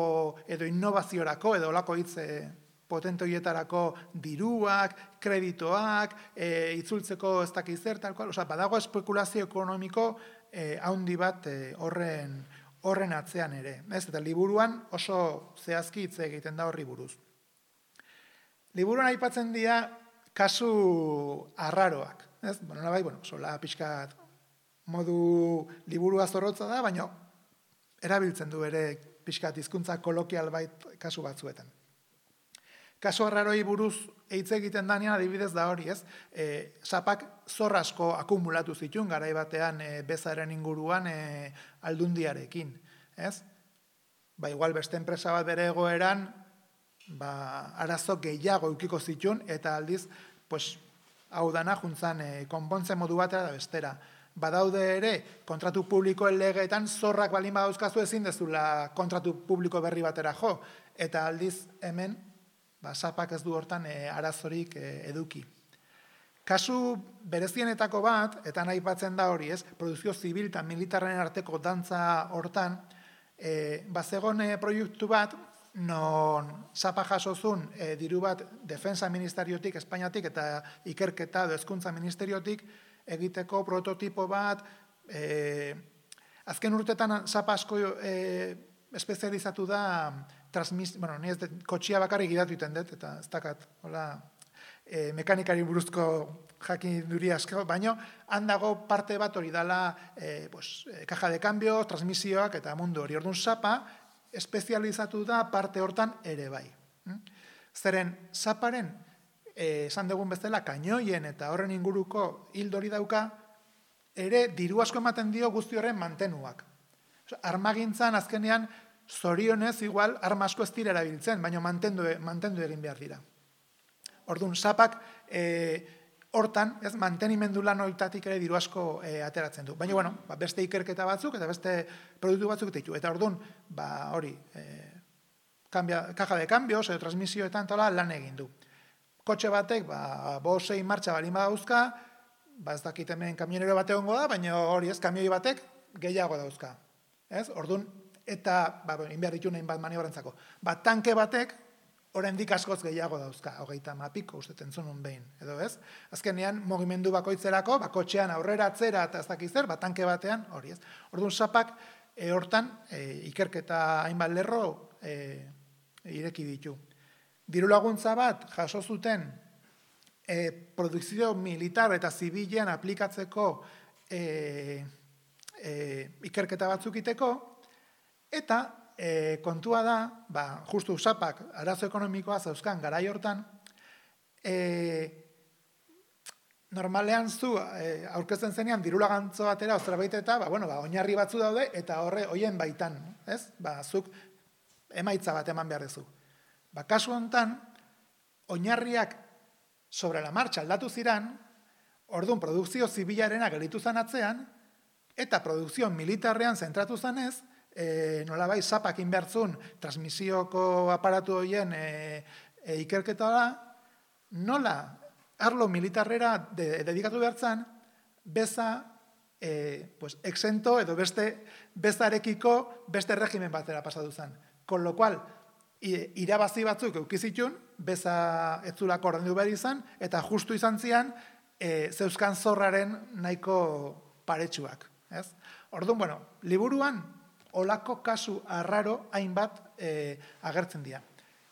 edo innovaziorako edo olako hitze potente horietarako diruak, kreditoak, e, itzultzeko ez dakiz zer, tal cual, osea, badago espekulazio ekonomiko e, haundi bat e, horren, horren atzean ere. Ez? Eta liburuan oso zehazki hitz egiten da horri buruz. Liburuan aipatzen dira kasu arraroak. Ez? Bueno, nabai, bueno, sola pixkat modu liburua zorrotza da, baina erabiltzen du ere pixkat hizkuntza kolokial bait kasu batzuetan. Kasu arraroi buruz hitz egiten danean adibidez da hori, ez? E, Sapak zor asko akumulatu zituen garai batean e, bezaren inguruan e, Aldundiarekin, ez? Ba, igual beste enpresa bat bere egoeran, ba, arazo gehiago eukiko zituen, eta aldiz, pues, hau dana juntzan e, konpontze modu batera da bestera. Badaude ere, kontratu publikoen legeetan zorrak balin badauzkazu ezin dezula kontratu publiko berri batera jo, eta aldiz hemen, ba, Sapak ez du hortan e, arazorik e, eduki. Kasu berezienetako bat, eta nahi batzen da hori, ez, produzio zibil eta militarren arteko dantza hortan, e, bazegon e, proiektu bat, non Sapak jasozun e, diru bat defensa ministeriotik, Espainiatik, eta ikerketa edo hezkuntza ministeriotik, egiteko prototipo bat, e, azken urtetan Sapa asko e, espezializatu da, transmis, bueno, ni ez de, kotxia bakarrik gidatu iten dut, eta ez dakat, hola, e, mekanikari buruzko jakin duri asko, baino, handago parte bat hori dala, e, pues, e, kaja de cambio, transmisioak eta mundu hori. Orduan Sapa espezializatu da parte hortan ere bai. Zeren, Saparen, e, esan dugun bezala, kainoien eta horren inguruko hildori dauka, ere diru asko ematen dio guzti horren mantenuak. Armagintzan azkenean, zorionez, igual, arma asko ez dira erabiltzen, baina mantendu, mantendu egin behar dira. Orduan, Sapak e, hortan, ez, mantenimendu lan horitatik ere diru asko e, ateratzen du. Baina, bueno, ba, beste ikerketa batzuk eta beste produktu batzuk ditu. Eta orduan, ba, hori, e, kaja de cambios edo transmisioetan tola lan egin du. Kotxe batek, ba, bosei martxa balin badauzka, ba ez dakit hemen kamionero bate hongo da, baina hori ez, kamioi batek gehiago dauzka. Ez? Orduan, eta, ba, inbehar ditu nahin bat maniobrantzako. Ba, tanke batek, oraindik askoz gehiago dauzka, hogeita mapiko uste entzunun behin, edo ez? Azkenean, mugimendu bakoitzerako, ba, kotxean aurrera, atzera, eta ez dakiz zer, ba, tanke batean, hori ez. Orduan, sapak, e, hortan, e, ikerketa hainbat lerro e, ireki ditu. Diru laguntza bat, jaso zuten, e, produkzio militar eta zibilean aplikatzeko e, e, ikerketa batzuk iteko, eta e, kontua da, ba, justu sapak arazo ekonomikoa zauzkan garai hortan, e, normalean zu e, aurkezten zenean diru lagantzo batera oztrabait eta ba, bueno, ba, oinarri batzu daude eta horre hoien baitan, ez? Ba, zuk emaitza bat eman behar duzu. Ba, kasu honetan, oinarriak sobre la marcha aldatu ziran, orduan produkzio zibilarena gelitu zan atzean, eta produkzio militarrean zentratu zanez, e, nolabai sapak inbertzun transmisioko aparatu horien e, e, ikerketa da, nola arlo militarrera de, dedikatu behartzan, beza e, pues, exento edo beste bezarekiko beste regimen batera pasatu zen. Con lo cual, irabazi batzuk eukizitun, beza etzulako ordendu behar izan, eta justu izan zian, e, zeuzkan zorraren nahiko paretsuak. Ez? Orduan, bueno, liburuan, olako kasu arraro hainbat e, agertzen dira.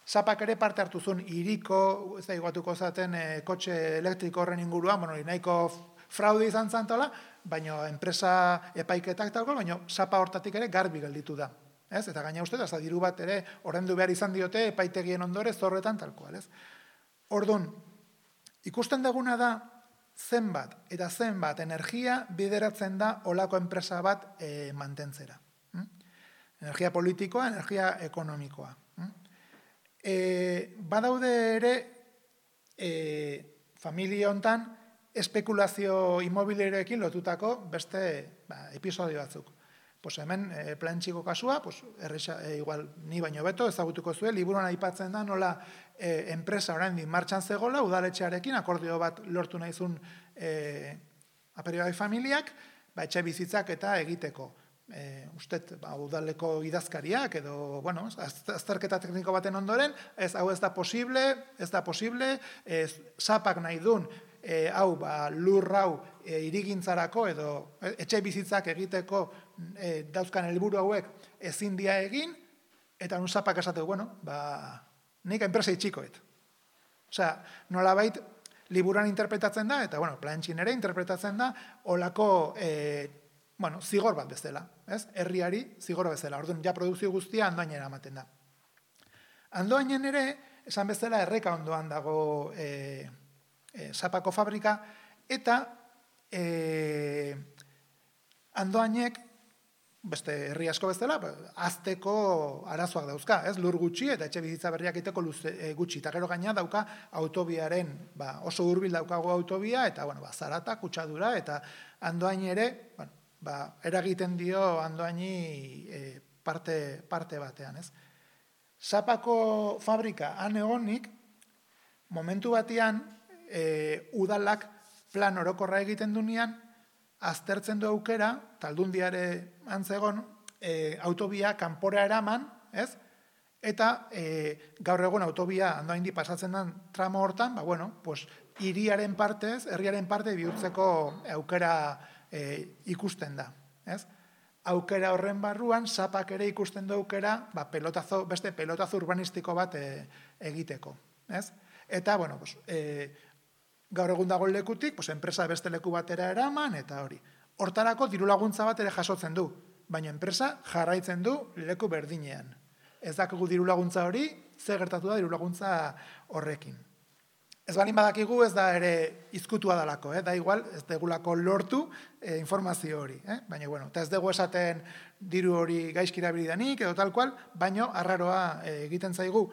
Sapak ere parte hartu zuen iriko, ez da iguatuko zaten, e, kotxe elektriko horren inguruan, bueno, nahiko fraude izan zantola, baina enpresa epaiketak talko, baina sapa hortatik ere garbi gelditu da. Ez? Eta gaina uste, eta diru bat ere ordaindu behar izan diote epaitegien ondore zorretan talkoal. Ez? Orduan, ikusten duguna da zenbat eta zenbat energia bideratzen da olako enpresa bat e, mantentzera. Hm? Energia politikoa, energia ekonomikoa. Hm? E, badaude ere e, familia hontan espekulazio inmobiliarioekin lotutako beste ba, episodio batzuk. Pues hemen e, plantxiko kasua, pues, erresa, e, igual ni baino beto ezagutuko zuen, liburuan aipatzen da nola e, enpresa oraindik martxan zegola, udaletxearekin akordio bat lortu nahizun e, Aperribai familiak, ba, etxe bizitzak eta egiteko. E, ustet, ba, udaleko idazkariak edo, bueno, azterketa tekniko baten ondoren, ez hau ez da posible, ez da posible, ez, sapak nahi dun, E, hau, ba, lur hau e, irigintzarako edo e, etxe bizitzak egiteko e, dauzkan helburu hauek ezin dia egin, eta nun sapak esateu, bueno, ba, nik enpresa itxikoet. Osea, nolabait liburuan interpretatzen da, eta, bueno, plantxin ere interpretatzen da, olako, e, bueno, zigor bat bezala, ez? Herriari zigor bezala. Orduan, ja produkzio guztia andoainera ematen da. Andoainen ere, esan bezala, erreka ondoan dago e, E, sapako fabrika, eta e, andoainek, beste herri asko bezala, azteko arazoak dauzka, ez? Lur gutxi eta etxe bizitza berriak iteko luze, e, gutxi, eta gero gaina dauka autobiaren, ba, oso hurbil daukago autobia, eta bueno, ba, zarata, kutsadura, eta andoain ere, bueno, ba, eragiten dio andoaini e, parte, parte batean, ez? Sapako fabrika han egonik, momentu batean, E, udalak plan orokorra egiten dunean, aztertzen du aukera, taldundiare antzegon, e, autobia kanpora eraman, ez? Eta e, gaur egun autobia andoaindi pasatzen den tramo hortan, ba, bueno, pues, hiriaren partez, herriaren parte bihurtzeko aukera e, ikusten da, ez? Aukera horren barruan, sapak ere ikusten du aukera, ba, pelotazo, beste pelotazo urbanistiko bat e, egiteko, ez? Eta, bueno, pues, e, gaur egun dago lekutik, pues, enpresa beste leku batera eraman, eta hori. Hortarako diru laguntza bat ere jasotzen du, baina enpresa jarraitzen du leku berdinean. Ez dakigu diru laguntza hori, ze gertatu da diru laguntza horrekin. Ez balin badakigu ez da ere izkutua dalako, eh? Da igual, ez degulako lortu eh, informazio hori. Eh? Baina, bueno, eta ez dugu esaten diru hori gaizki erabilidanik, edo tal cual, baina arraroa eh, egiten zaigu,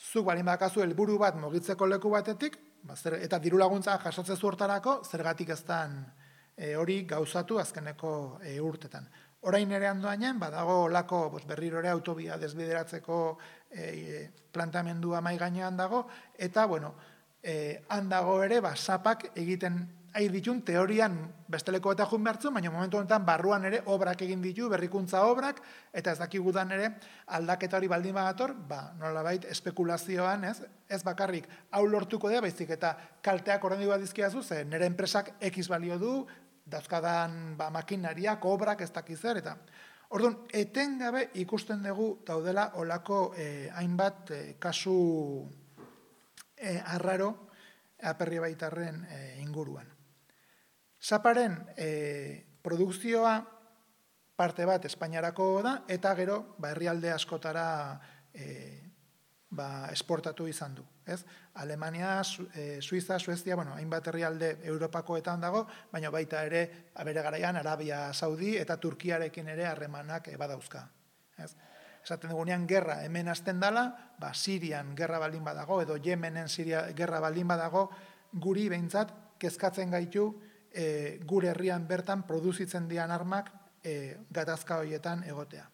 zuk balin badakazu helburu bat mugitzeko leku batetik, ba, zer, eta diru laguntza jasotzen zu hortarako, zergatik ez dan e, hori gauzatu azkeneko e, urtetan. Orain ere andoainen, badago olako berriro ere autobia desbideratzeko planteamendua mai gainean dago, eta, bueno, han dago ere, sapak egiten ari ditun, teorian besteleko eta jun behartzen, baina momentu honetan barruan ere obrak egin ditu, berrikuntza obrak, eta ez dakigudan ere aldaketa hori baldin badator, ba, nolabait espekulazioan, ez, ez bakarrik hau lortuko da, baizik eta kalteak ordendi bat dizkiazu, ze nire enpresak X balio du, dauzkadan ba, makinariak, obrak, ez dakizer, eta orduan, etengabe ikusten dugu daudela olako eh, hainbat eh, kasu eh, arraro aperri baitarren eh, inguruan. Zaparen eh, produkzioa parte bat Espainiarako da, eta gero ba, herrialde askotara eh, ba, esportatu izan du. Ez? Alemania, Su, eh, Suiza, Suezia, bueno, hainbat herrialde Europakoetan dago, baina baita ere, abere garaian, Arabia Saudi eta Turkiarekin ere harremanak e, badauzka. Ez? Esaten dugunean, gerra hemen hasten dala, ba, Sirian gerra baldin badago, edo Yemenen Siria gerra baldin badago, guri behintzat kezkatzen gaitu e, gure herrian bertan produzitzen dian armak e, gatazka horietan egotea.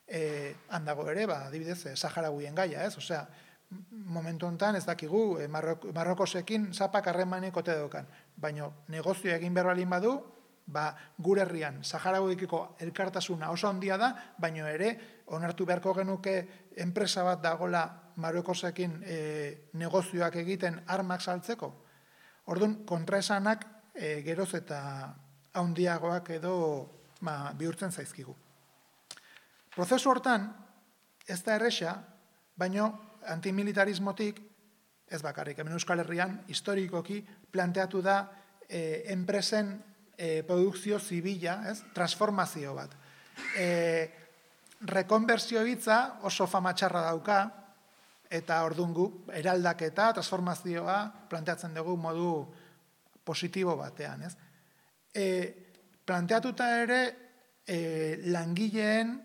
E, handago ere, ba, adibidez, Saharaguien gaia, ez? Osea, momentu honetan ez dakigu, e, Marrokosekin zapak harremanik ote daukan, baina negozio egin behar balin badu, ba, gure herrian Saharaguikiko elkartasuna oso handia da, baina ere, onartu beharko genuke enpresa bat dagola Marrokosekin e, negozioak egiten armak saltzeko. Orduan, kontraesanak e, geroz eta handiagoak edo ba, bihurtzen zaizkigu. Prozesu hortan, ez da erresa, baina antimilitarismotik, ez bakarrik, hemen Euskal Herrian, historikoki planteatu da e, enpresen e, produkzio zibila, ez? Transformazio bat. E, rekonbertsio hitza oso fama txarra dauka, eta ordungu, eraldaketa, transformazioa planteatzen dugu modu positibo batean, ez? E, planteatuta ere e, langileen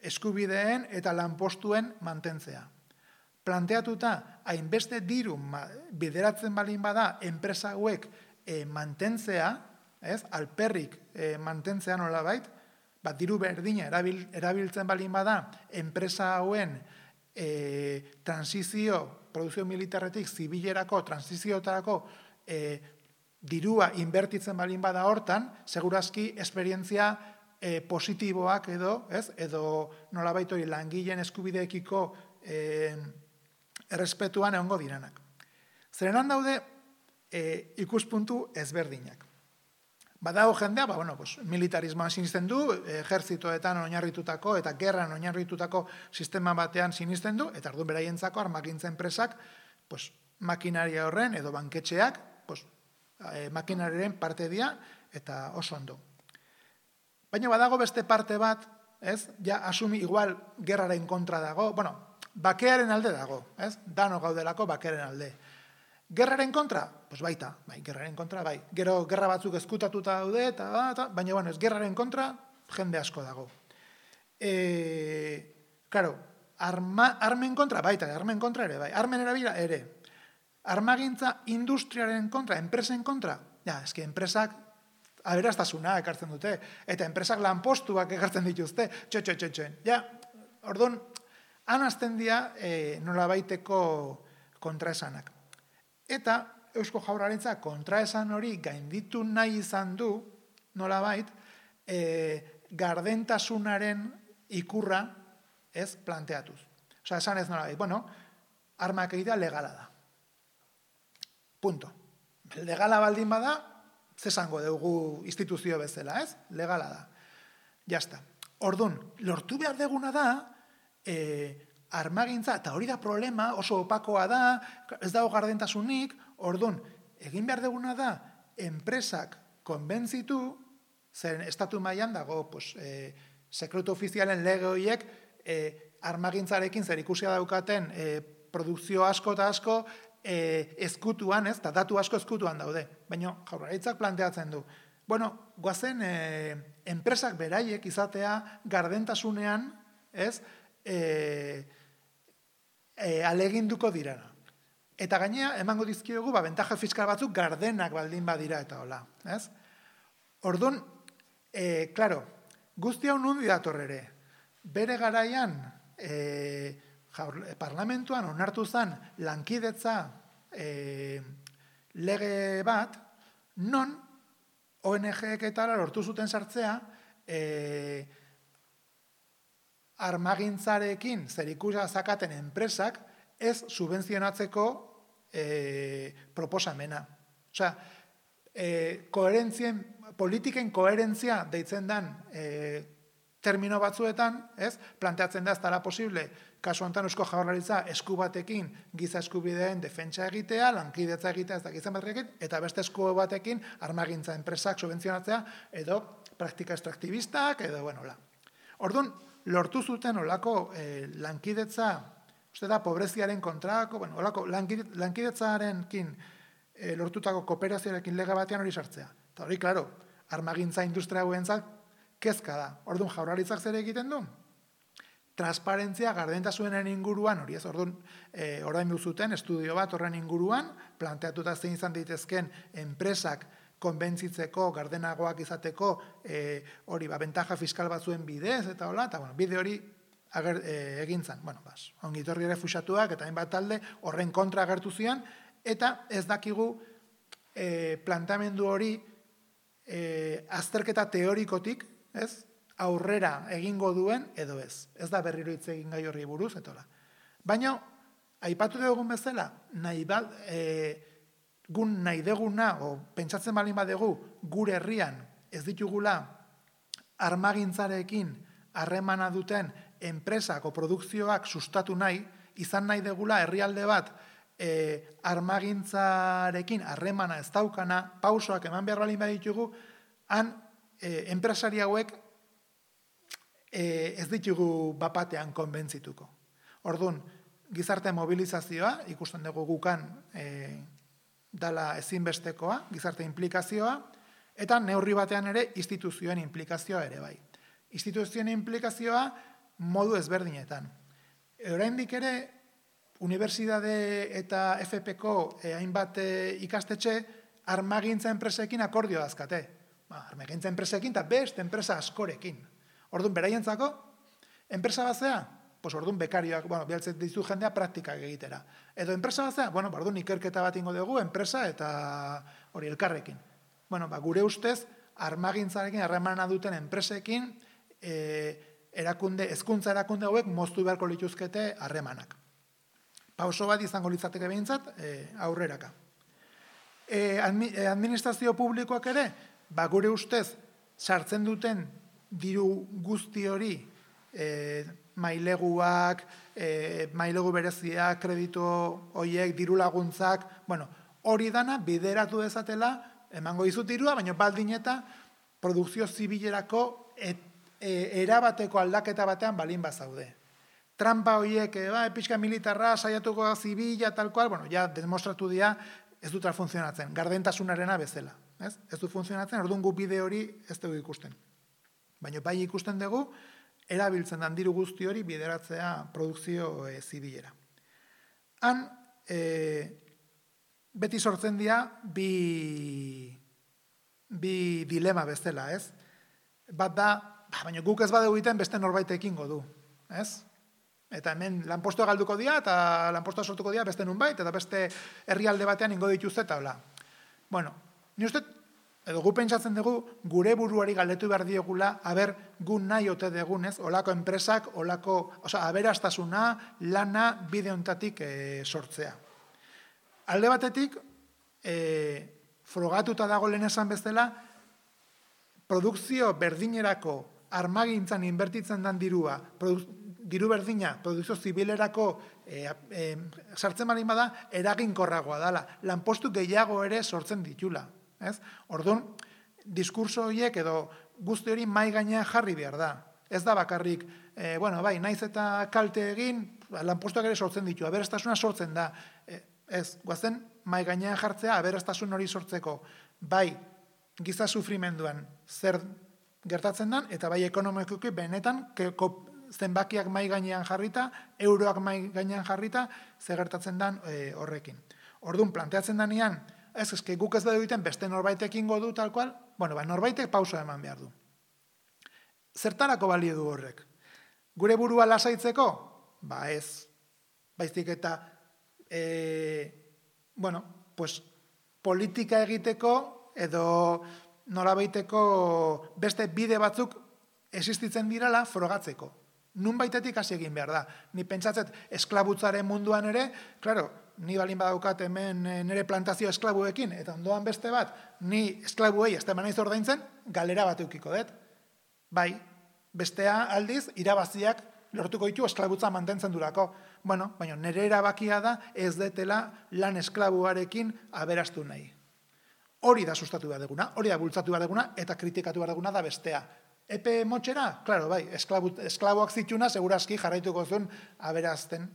eskubideen eta lanpostuen mantentzea. Planteatuta, hainbeste diru bideratzen balin bada enpresa hauek e, mantentzea, ez? Alperrik e, mantentzea nolabait, bat diru berdina erabil, erabiltzen balin bada enpresa hauen e, transizio, produzio militarretik zibilerako, transiziotarako e, dirua inbertitzen balin bada hortan, segurazki esperientzia e, positiboak edo, ez? Edo nolabait hori langileen eskubideekiko e, errespetuan egongo diranak. Zerenan daude e, ikuspuntu ezberdinak. Badago jendea, ba, bueno, pues, militarismoan sinisten du, ejertzitoetan oinarritutako eta gerran oinarritutako sistema batean sinisten du, eta orduan beraientzako armakintza enpresak pues, makinaria horren edo banketxeak pues, e, makinariaren parte dira eta oso ondo. Baina badago beste parte bat, ez? Ja asumi igual gerraren kontra dago, bueno, bakearen alde dago, ez? Dano gaudelako bakearen alde. Gerraren kontra? Pues baita, bai, gerraren kontra, bai. Gero gerra batzuk ezkutatuta daude, eta, eta, baina, bueno, ez gerraren kontra, jende asko dago. E, claro, arma, armen kontra, baita, armen kontra ere, bai. Armen erabila ere. Armagintza industriaren kontra, enpresen kontra, ja, eski enpresak aberastasuna ekartzen dute, eta enpresak lanpostuak ekartzen dituzte, txo, txo, txo, txo. Ja, orduan, han azten dira e, nolabaiteko kontraesanak. Eta Eusko Jaurlaritza kontraesan hori gainditu nahi izan du, nolabait, e, gardentasunaren ikurra ez planteatuz. Osa, esan ez nolabait, bueno, armak egitea legala da. Punto. Legala baldin bada, zesango dugu instituzio bezala, ez? Legala da. Jasta. Ordun, lortu behar deguna da, e, armagintza, eta hori da problema, oso opakoa da, ez dago gardentasunik, ordun, egin behar deguna da, enpresak konbentzitu, zen estatu mailan dago, pues, e, sekretu ofizialen lege horiek, e, armagintzarekin zer ikusia daukaten e, produkzio asko eta asko, e, ezkutuan, ez, eta datu asko ezkutuan daude. Baina Jaurlaritzak planteatzen du. Bueno, goazen, e, enpresak beraiek izatea gardentasunean, ez, e, E, aleginduko dirana. Eta gainea, emango dizkiogu, ba, bentaja fiskal batzuk gardenak baldin badira eta hola. Ez? Orduan, e, klaro, guzti hau nundi dator ere. Bere garaian, e, parlamentuan onartu zen lankidetza e, lege bat, non O N G-ek eta lortu zuten sartzea, e, armagintzarekin zerikusia zakaten enpresak ez subentzionatzeko e, proposamena. Osea, e, koherentzien, politiken koherentzia deitzen den e, termino batzuetan, ez, planteatzen da ez dela posible, kasu honetan Eusko Jaurlaritza esku batekin giza eskubideen defentsa egitea, lankidetza egitea, ez da giza batekin, eta beste esku batekin armagintza enpresak subentzionatzea, edo praktika extraktivistak, edo, bueno, la. Orduan, lortu zuten olako eh, lankidetza, uste da, pobreziaren kontrako, bueno, olako lankidetzarekin eh, lortutako kooperazioarekin lege batean hori sartzea. Eta hori, klaro, armagintza industria guentzat kezka da. Orduan, Jaurlaritzak zer egiten du? Transparentzia gardentasunaren inguruan, hori ez, orduan, e, orain duzuten estudio bat horren inguruan, planteatuta zein izan daitezken enpresak konbentzitzeko, gardenagoak izateko, e, hori, ba, bentaja fiskal batzuen bidez, eta hola, eta, bueno, bide hori ager, e, egin zan. Bueno, bas, ongitorri ere fusatuak, eta hainbat talde horren kontra agertu zian, eta ez dakigu e, plantamendu hori e, azterketa teorikotik, ez, aurrera egingo duen edo ez. Ez da berriro hitz egin gai horri buruz, etola. Baina, aipatu dugun bezala, nahi bat, e, gun nahi deguna, o pentsatzen balin badegu, gure herrian ez ditugula armagintzarekin harremana duten enpresak o produkzioak sustatu nahi, izan nahi degula herrialde bat e, armagintzarekin harremana ez daukana, pausoak eman behar balin baditugu, han e, enpresari hauek ez ditugu bapatean konbentzituko. Orduan, gizarte mobilizazioa, ikusten dugu gukan e, dala ezinbestekoa, gizarte implikazioa, eta neurri batean ere instituzioen implikazioa ere bai. Instituzioen implikazioa modu ezberdinetan. Oraindik ere, unibertsitate eta F P ko e, hainbat e, ikastetxe armagintza enpresekin akordioa azkate. Ba, armagintza enpresekin eta beste enpresa askorekin. Orduan, beraientzako, enpresa batzea, pues orduan bekarioak, bueno, bialtzen dizu jendea praktikak egitera. Edo enpresa batzea, bueno, orduan ikerketa bat ingo dugu, enpresa eta hori elkarrekin. Bueno, ba, gure ustez, armagintzarekin, harremana duten enpresekin, e, erakunde, hezkuntza erakunde hauek moztu beharko lituzkete harremanak. Pauso bat izango litzateke behintzat, e, aurreraka. E, administrazio publikoak ere, ba, gure ustez, sartzen duten diru guzti hori, e, maileguak, e, mailegu bereziak, kredito horiek, diru laguntzak, bueno, hori dana bideratu dezatela, emango dizut dirua, baina baldin eta produkzio zibilerako et, e, erabateko aldaketa batean balin bazaude. Trampa horiek, e, ba, pixka militarra, saiatuko zibila, tal cual, bueno, ja demostratu dira, ez dut funtzionatzen, gardentasunarena bezala. Ez, ez du funtzionatzen, orduan gu bide hori ez dugu ikusten. Baina bai ikusten dugu, erabiltzen den diru guzti hori bideratzea produkzio e, zibilera. Han, e, beti sortzen dira bi, bi dilema bezala, ez? Bat da, baina guk ez badeu egiten beste norbaitekin godu, ez? Eta hemen lanpostua galduko dira, eta lanpostua sortuko dira beste nunbait, eta beste herrialde batean ingo dituzte eta hola. Bueno, ni uste, edo gu pentsatzen dugu, gure buruari galdetu behar diegula, haber, gu nahi ote degunez, olako enpresak, olako, oza, aberastasuna, lana, bide honetatik e, sortzea. Alde batetik, e, frogatuta dago lehen esan bezala, produkzio berdinerako armagintzan inbertitzen den dirua, diru berdina, produkzio zibilerako e, e, sartzen balin bada, eraginkorragoa dela, lanpostu gehiago ere sortzen ditula. Ez? Orduan, diskurso horiek edo guzti hori mai gainean jarri behar da. Ez da bakarrik, e, bueno, bai, naiz eta kalte egin, lanpostuak ere sortzen ditu, aberastasuna sortzen da. E, ez, guazen, mai gainean jartzea, aberastasun hori sortzeko, bai, giza sufrimenduan zer gertatzen den, eta bai ekonomikoki benetan, keko, zenbakiak mai gainean jarrita, euroak mai gainean jarrita, zer gertatzen den e, horrekin. Orduan, planteatzen denean, ez, eske guk ez da egiten beste norbaitekin godu tal cual, bueno, ba, norbaitek pausa eman behar du. zertarako balio du horrek? Gure burua lasaitzeko? Ba ez. Baizik eta, e, bueno, pues, politika egiteko edo nolabaiteko beste bide batzuk existitzen dirala frogatzeko. Nun baitetik hasi egin behar da. Ni pentsatzet esklabutzaren munduan ere, claro, ni balin badaukat hemen nire plantazio esklabuekin, eta ondoan beste bat, ni esklabuei ez temanaiz ordaintzen, galera bat eukiko dut. Bai, bestea aldiz, irabaziak lortuko ditu esklabutza mantentzen durako. Bueno, baina nire erabakia da ez detela lan esklabuarekin aberastu nahi. Hori da sustatu behar deguna, hori da bultzatu behar deguna, eta kritikatu behar deguna da bestea. Epe motxera? Claro, bai, esklaboak zituna segurazki jarraituko zuen aberazten.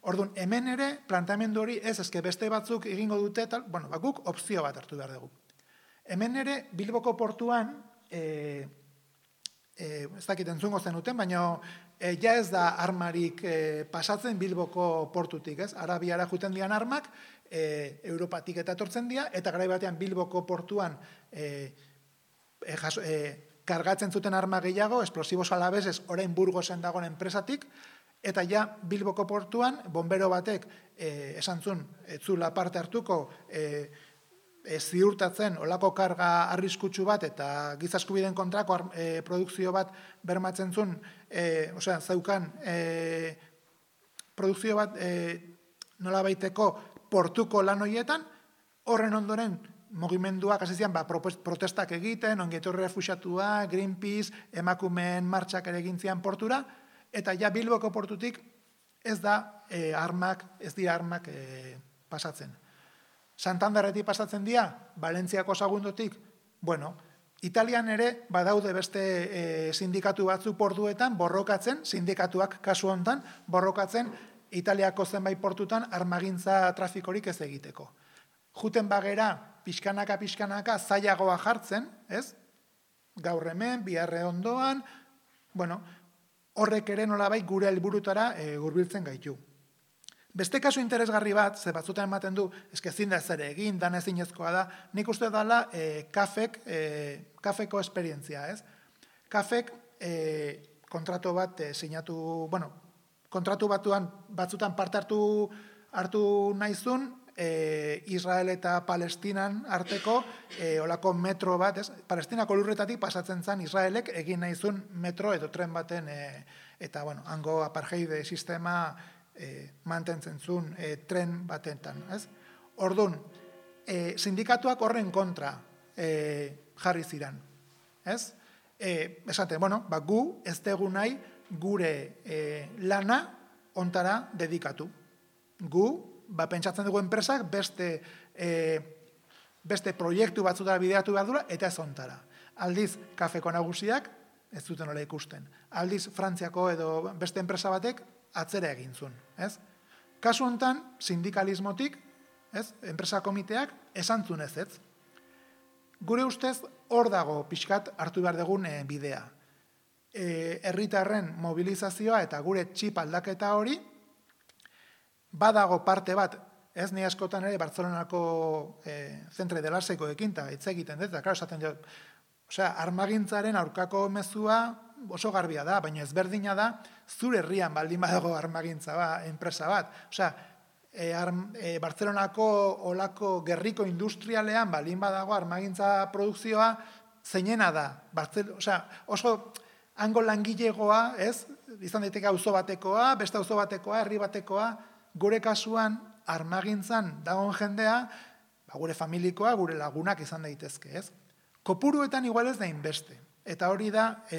Orduan, hemen ere, planteamendu hori ez, ezke beste batzuk egingo dute, tal, bueno, bakuk opzio bat hartu behar dugu. Hemen ere, Bilboko portuan, e, e, ez dakit entzungo zenuten, baina e, ja ez da armarik e, pasatzen Bilboko portutik, ez? Arabiara juten dian armak, e, Europatik eta etortzen dira, eta garai batean Bilboko portuan e, e, jaso, e, kargatzen zuten arma gehiago, esplosibos alabesez, orain Burgosen dagoen enpresatik, eta ja Bilboko portuan, bombero batek e, esan zuen, etzula parte hartuko, e, e, ziurtatzen olako karga arriskutsu bat, eta giza eskubideen kontrako e, produkzio bat bermatzen zuen, e, osea, zaukan e, produkzio bat e, nola baiteko portuko lan horietan, horren ondoren, mugimenduak hasi zian ba, protestak egiten, ongietorri refuxiatua, Greenpeace, emakumeen martxak ere egin zian portura, eta ja Bilboko portutik ez da e, armak, ez dira armak e, pasatzen. Santanderretik pasatzen dira, Valentziako Sagundotik, bueno, Italian ere badaude beste e, sindikatu batzu portuetan borrokatzen, sindikatuak kasu hontan borrokatzen Italiako zenbait portutan armagintza trafikorik ez egiteko. Juten bagera, pixkanaka, pixkanaka, zailagoa jartzen, ez? Gaur hemen, biharre ondoan, bueno, horrek ere nolabait gure helburutara e, hurbiltzen gaitu. Beste kasu interesgarri bat, ze batzutan ematen du, eske ezin da zer egin, dan ezinezkoa da, nik uste dala e, kafek, e, kafeko esperientzia, ez? Kafek e, kontratu bat e, sinatu, bueno, kontratu batuan batzutan parte hartu hartu naizun, E, Israel eta Palestinan arteko e, olako metro bat, ez? Palestinako lurretatik pasatzen zen Israelek egin nahizun metro edo tren baten, e, eta, bueno, hango apartheid sistema e, mantentzen zuen e, tren batetan, ez? Orduan, e, sindikatuak horren kontra e, jarri ziren, ez? E, esate, bueno, ba, gu ez dugu nahi gure e, lana ontara dedikatu. Gu, ba, pentsatzen dugu enpresak beste, e, beste proiektu batzutara bideratu behar dura, eta ez ontara. Aldiz, kafeko nagusiak ez zuten nola ikusten. Aldiz, Frantziako edo beste enpresa batek atzera egin zuen. Ez? Kasu hontan, sindikalismotik, ez? Enpresa komiteak esan zuen ez ez. Gure ustez, hor dago pixkat hartu behar dugun e, bidea. E, herritarren mobilizazioa eta gure txip aldaketa hori, badago parte bat, ez ni askotan ere Bartzelonako e, zentre delaseiko ekinta, hitz egiten dut, eta, klaro, esaten dut, osea, armagintzaren aurkako mezua oso garbia da, baina ezberdina da, zure herrian baldin badago armagintza ba, enpresa bat. Osea, e, e, Bartzelonako olako gerriko industrialean baldin badago armagintza produkzioa zeinena da. Bartzel, osea, oso hango langilegoa, ez? Izan daiteke auzo batekoa, beste auzo batekoa, herri batekoa, gure kasuan armagintzan dagoen jendea, ba, gure familikoa, gure lagunak izan daitezke, ez? Kopuruetan igual ez da inbeste. Eta hori da e,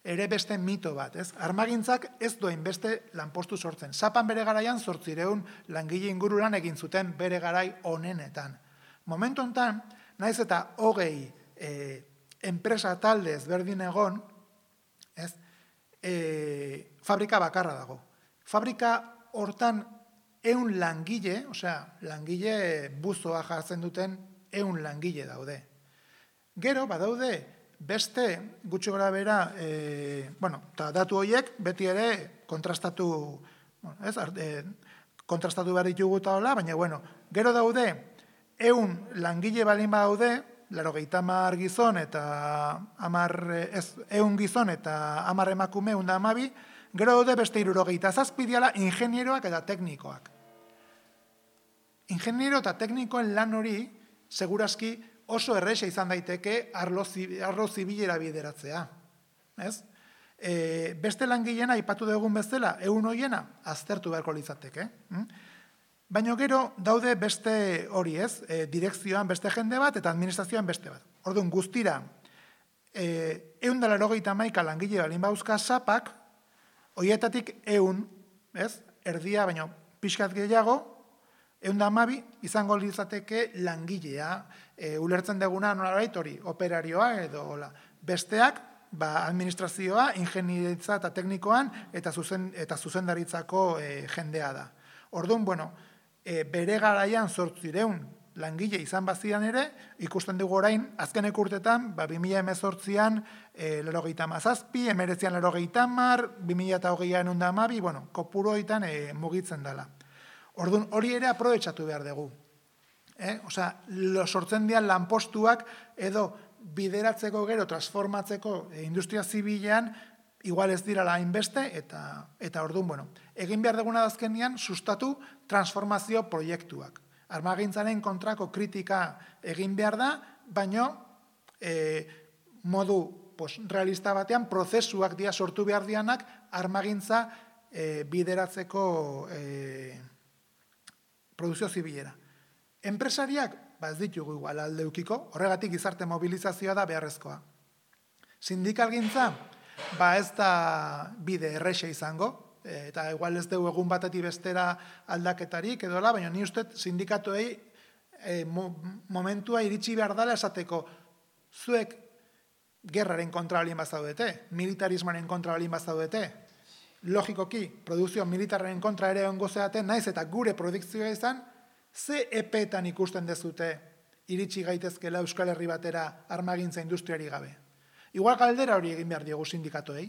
ere beste mito bat, ez? Armagintzak ez duen beste lanpostu sortzen. Zapan bere garaian zortzireun langile inguru lan egin zuten bere garai honenetan. Momentu hontan, naiz eta hogei e, enpresa talde ezberdin egon, ez? E, fabrika bakarra dago. Fabrika hortan ehun langile, osea, langile buzoa jartzen duten ehun langile daude. Gero, badaude, beste gutxi gora bera, e, bueno, eta datu horiek beti ere kontrastatu, bueno, ez, e, kontrastatu behar ditugu eta hola, baina, bueno, gero daude, ehun langile balin badaude, larogeita hamar gizon eta hamar, ez, ehun gizon eta hamar emakume ehun eta hamabi, gero daude beste hirurogeita zazpi diala ingenieroak eta teknikoak. Ingeniero eta teknikoen lan hori, segurazki oso erresa izan daiteke arlo, arlo zibilera bideratzea. Ez? E, beste langileena aipatu dugun bezala, ehun hoiena aztertu beharko litzateke. Hm? Baina gero daude beste hori, ez? E, direkzioan beste jende bat eta administrazioan beste bat. Orduan guztira, e, ehun eta laurogeita hamaika langile balin bauzka sapak, horietatik ehun, ez? Erdia, baina pixkat gehiago, ehun eta hamabi izango litzateke langilea, e, ulertzen duguna nolabait hori, operarioa edo hola. Besteak, ba, administrazioa, ingenieritza eta teknikoan eta, zuzen, eta zuzendaritzako e, jendea da. Orduan, bueno, e, bere garaian zortzireun langile izan bazian ere, ikusten dugu orain, azkenek urtetan, ba, bi mila hemezortzian e, larogeita hamazazpi, emeretzian larogeita hamar, bi mila hogeian ehun eta hamabi, bueno, kopuroitan e, mugitzen dela. Orduan, hori ere aprobetxatu behar dugu. Eh? Osea, sortzen dian lanpostuak edo bideratzeko gero, transformatzeko e, industria zibilean, igual ez dira hainbeste, eta, eta orduan, bueno, egin behar duguna dazkenian, sustatu transformazio proiektuak. Armagintzaren kontrako kritika egin behar da, baino e, modu pues, realista batean, prozesuak dia sortu behar dianak, armagintza e, bideratzeko e, produzio zibilera. Enpresariak, ba ez ditugu igual aldeukiko, horregatik gizarte mobilizazioa da beharrezkoa. Sindikalgintza, ba ez da bide errexe izango, eta igual ez dugu egun batetik bestera aldaketarik edola, baina ni uste sindikatuei e, mo, momentua iritsi behar dela esateko, zuek gerraren kontra balin bazaudete, militarismoaren kontra balin bazaudete, logikoki, produzio militarren kontra ere ongo zeaten, naiz eta gure produkzioa izan, ze epetan ikusten dezute iritsi gaitezkela Euskal Herri batera armagintza industriari gabe. Igual galdera hori egin behar diogu sindikatuei.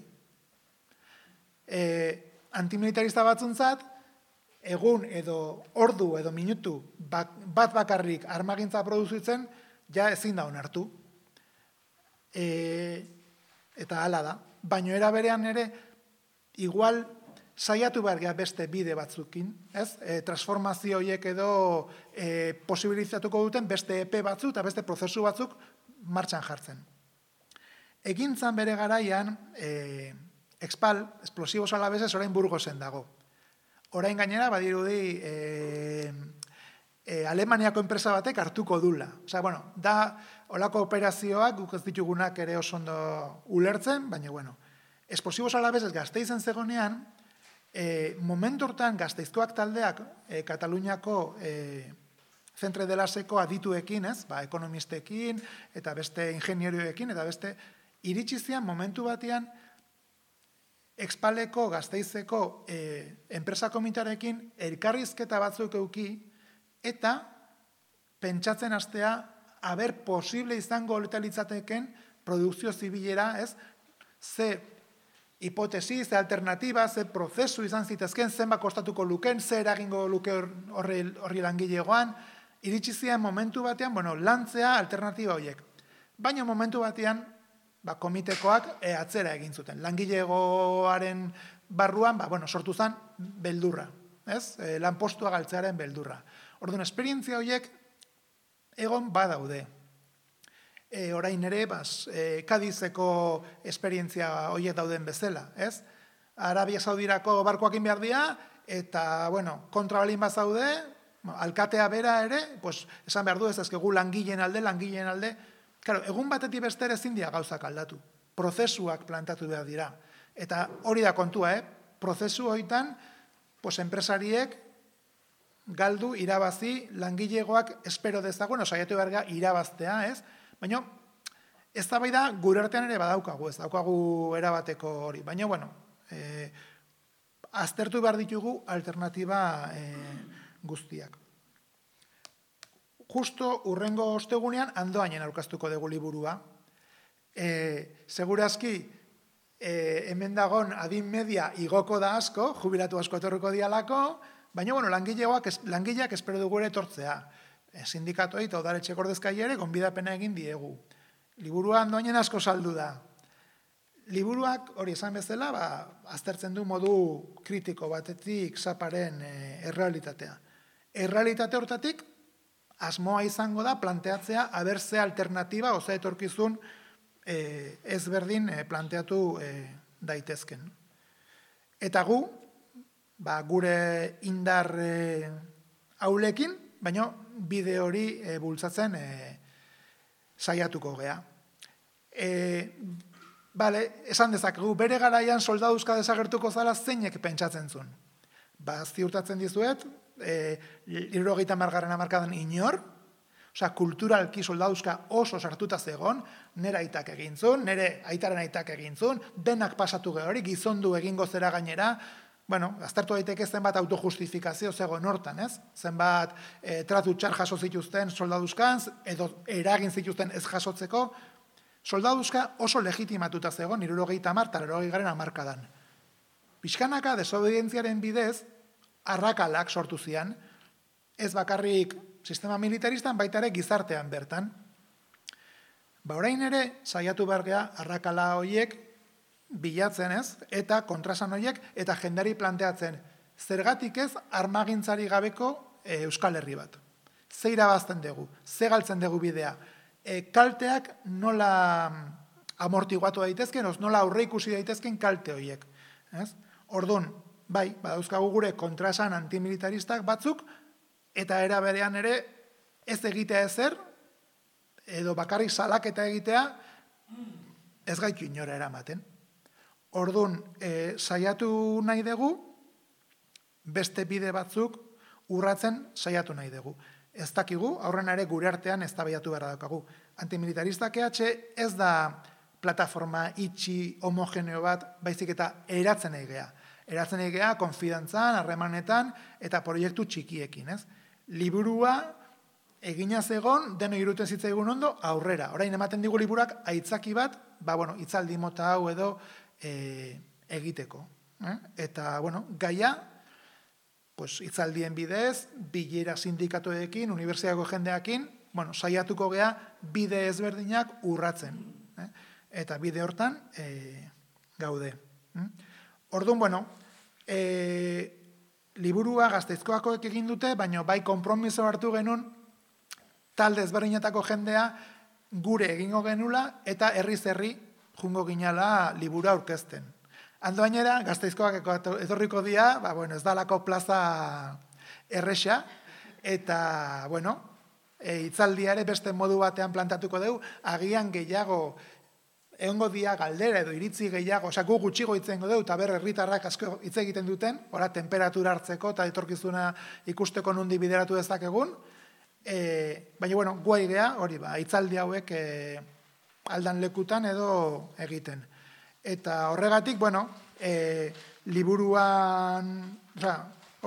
E, antimilitarista batzuntzat, egun edo ordu edo minutu bat, bat bakarrik armagintza produzitzen, ja ezin da onartu. E, eta hala da. Baina era berean ere, igual saiatu behar geha beste bide batzukin, ez? E, transformazio horiek edo e, posibilizatuko duten beste epe batzuk eta beste prozesu batzuk martxan jartzen. Egintzan bere garaian, e, Expal, Explosivos Alaveses, orain Burgosen dago. Orain gainera, badirudi, e, e, Alemaniako enpresa batek hartuko dula. Osea, bueno, da, olako operazioak, guk ez ditugunak ere oso ondo ulertzen, baina, bueno, Explosivos Alaveses Gasteizen zegonean, e, momentu hortan Gasteizkoak taldeak e, Kataluniako e, Centre de Laseko adituekin, ez, ba, ekonomistekin, eta beste ingenierioekin, eta beste iritsizian momentu batean Expaleko Gasteizeko e, enpresa komitarekin elkarrizketa batzuk euki, eta pentsatzen hastea, haber posible izango litzateken produkzio zibilera, ez, ze hipotesi, ze alternatiba, ze prozesu izan zitezken, zenba kostatuko luken, ze eragingo luke horri, horri langilegoan, iritsi zian momentu batean, bueno, lantzea alternatiba horiek. Baina momentu batean, ba, komitekoak e, atzera egin zuten. Langilegoaren barruan, ba, bueno, sortu zen beldurra, ez? E, lanpostua galtzearen beldurra. Orduan, esperientzia horiek egon badaude. E, orain ere, bas, e, Kadizeko esperientzia horiek dauden bezala, ez? Arabia Saudirako barkoakin behar dira, eta, bueno, kontrabalin bazaude, alkatea bera ere, pues, esan behar du ez ezkegu langileen alde, langileen alde. Claro, egun batetik beste ezin dira gauzak aldatu. Prozesuak plantatu behar dira. Eta hori da kontua, eh? Prozesu horietan, pues, enpresariek galdu, irabazi, langilegoak espero dezagun, osaiatu behar irabaztea, ez? Baina, ez da bai da, gure artean ere badaukagu, ez daukagu erabateko hori. Baina, bueno, eh, aztertu behar ditugu alternatiba eh, guztiak. Justo urrengo ostegunean Andoainen aurkeztuko dugu liburua. E, segurazki, e, hemen dagon adin media igoko da asko, jubilatu asko etorriko dialako, baina, bueno, langileak, langileak espero dugu ere etortzea. sindikatuei eta udaletxeko ordezkariei ere gonbidapena egin diegu. Liburua doinen asko saldu da. Liburuak, hori esan bezala, ba, aztertzen du modu kritiko batetik zaparen e, errealitatea. Errealitate hortatik, asmoa izango da planteatzea abertze alternatiba, oza etorkizun e, ezberdin e, planteatu e, daitezken. Eta gu, ba, gure indar e, haulekin, baina bide hori e, bultzatzen e, saiatuko gea. E, Bale, esan dezakegu, bere garaian soldaduzka desagertuko zala zeinek pentsatzen zuen. Ba, ziurtatzen dizuet, e, hirurogeita hamargarren hamarkadan inor, osea, kulturalki soldaduzka oso sartuta zegon, nire aitak egin zuen, nire aitaren aitak egin zuen, denak pasatu gehori, gizondu egingo zera gainera, bueno, aztertu daiteke zenbat autojustifikazio zegoen hortan, ez? Zenbat e, tratu txar jaso zituzten soldaduzkan, edo eragin zituzten ez jasotzeko, soldaduzka oso legitimatuta zegoen, hirurogeita hamar eta laurogeigarren hamarkadan. Pixkanaka desobedientziaren bidez, arrakalak sortu zian, ez bakarrik sistema militaristan, baita ere gizartean bertan. Ba, orain ere, saiatu bergea arrakala horiek bilatzen ez, eta kontrasan horiek, eta jendari planteatzen, zergatik ez armagintzari gabeko e, Euskal Herri bat. Ze irabazten dugu, ze galtzen dugu bidea, e, kalteak nola amortiguatu daitezken, oz, nola aurre ikusi daitezken kalte horiek. Ez? Orduan, bai, badauzkagu gure kontrasan antimilitaristak batzuk, eta era berean ere ez egitea ezer, edo bakarrik salaketa egitea, ez gaitu inora eramaten. Orduan, e, saiatu nahi dugu, beste bide batzuk urratzen saiatu nahi dugu. Ez dakigu, aurrena ere gure artean ez tabaiatu behar daukagu. Antimilitaristak E H ez da plataforma itxi homogeneo bat, baizik eta eratzen egea. Eratzen egea konfidantzan, harremanetan eta proiektu txikiekin, ez? Liburua egina zegon, deno iruten zitzaigun ondo, aurrera. Orain ematen digu liburak aitzaki bat, ba, bueno, itzaldi mota hau edo e, egiteko. Eh? Eta, bueno, gaia, pues, itzaldien bidez, bilera sindikatuekin, unibertsitateko jendeakin, bueno, saiatuko gea bide ezberdinak urratzen. Eh? Eta bide hortan e, gaude. Eh? Orduan, bueno, e, liburua Gasteizkoakoek egin dute, baina bai konpromiso hartu genuen talde ezberdinetako jendea gure egingo genula eta herriz herri jungo ginala libura aurkezten. Ando bainera, Gasteizkoak etorriko dia, ba, bueno, ez dalako plaza erresa, eta, bueno, e, itzaldia ere beste modu batean plantatuko dugu, agian gehiago, egongo dia galdera edo iritzi gehiago, osea, gu gutxigo itzengo dugu, eta ber herritarrak asko hitz egiten duten, ora, temperatura hartzeko, eta etorkizuna ikusteko nundi bideratu dezakegun, e, baina, bueno, guai gea, hori ba, itzaldi hauek e, aldan lekutan edo egiten. Eta horregatik, bueno, e, liburuan, oza,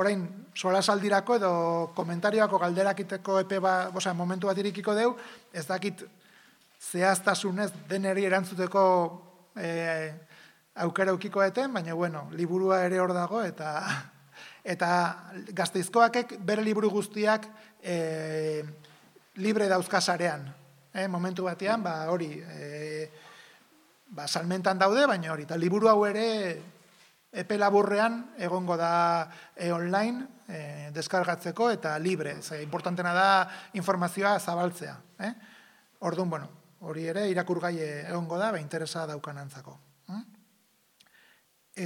orain, solasaldirako edo komentarioako galderakiteko epe ba, oza, momentu bat irikiko deu, ez dakit zehaztasunez deneri erantzuteko e, aukera ukiko eten, baina, bueno, liburua ere hor dago, eta eta Gasteizkoakek bere liburu guztiak e, libre dauzkasarean. E, momentu batean, ba, hori, e, ba, salmentan daude, baina hori, eta liburu hau ere epe laburrean egongo da e, online e, deskargatzeko eta libre. Ze, importantena da informazioa zabaltzea. Eh? Orduan, bueno, hori ere irakurgai egongo da, ba, interesa daukanantzako. Eh?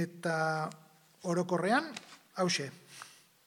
Eta orokorrean, hause.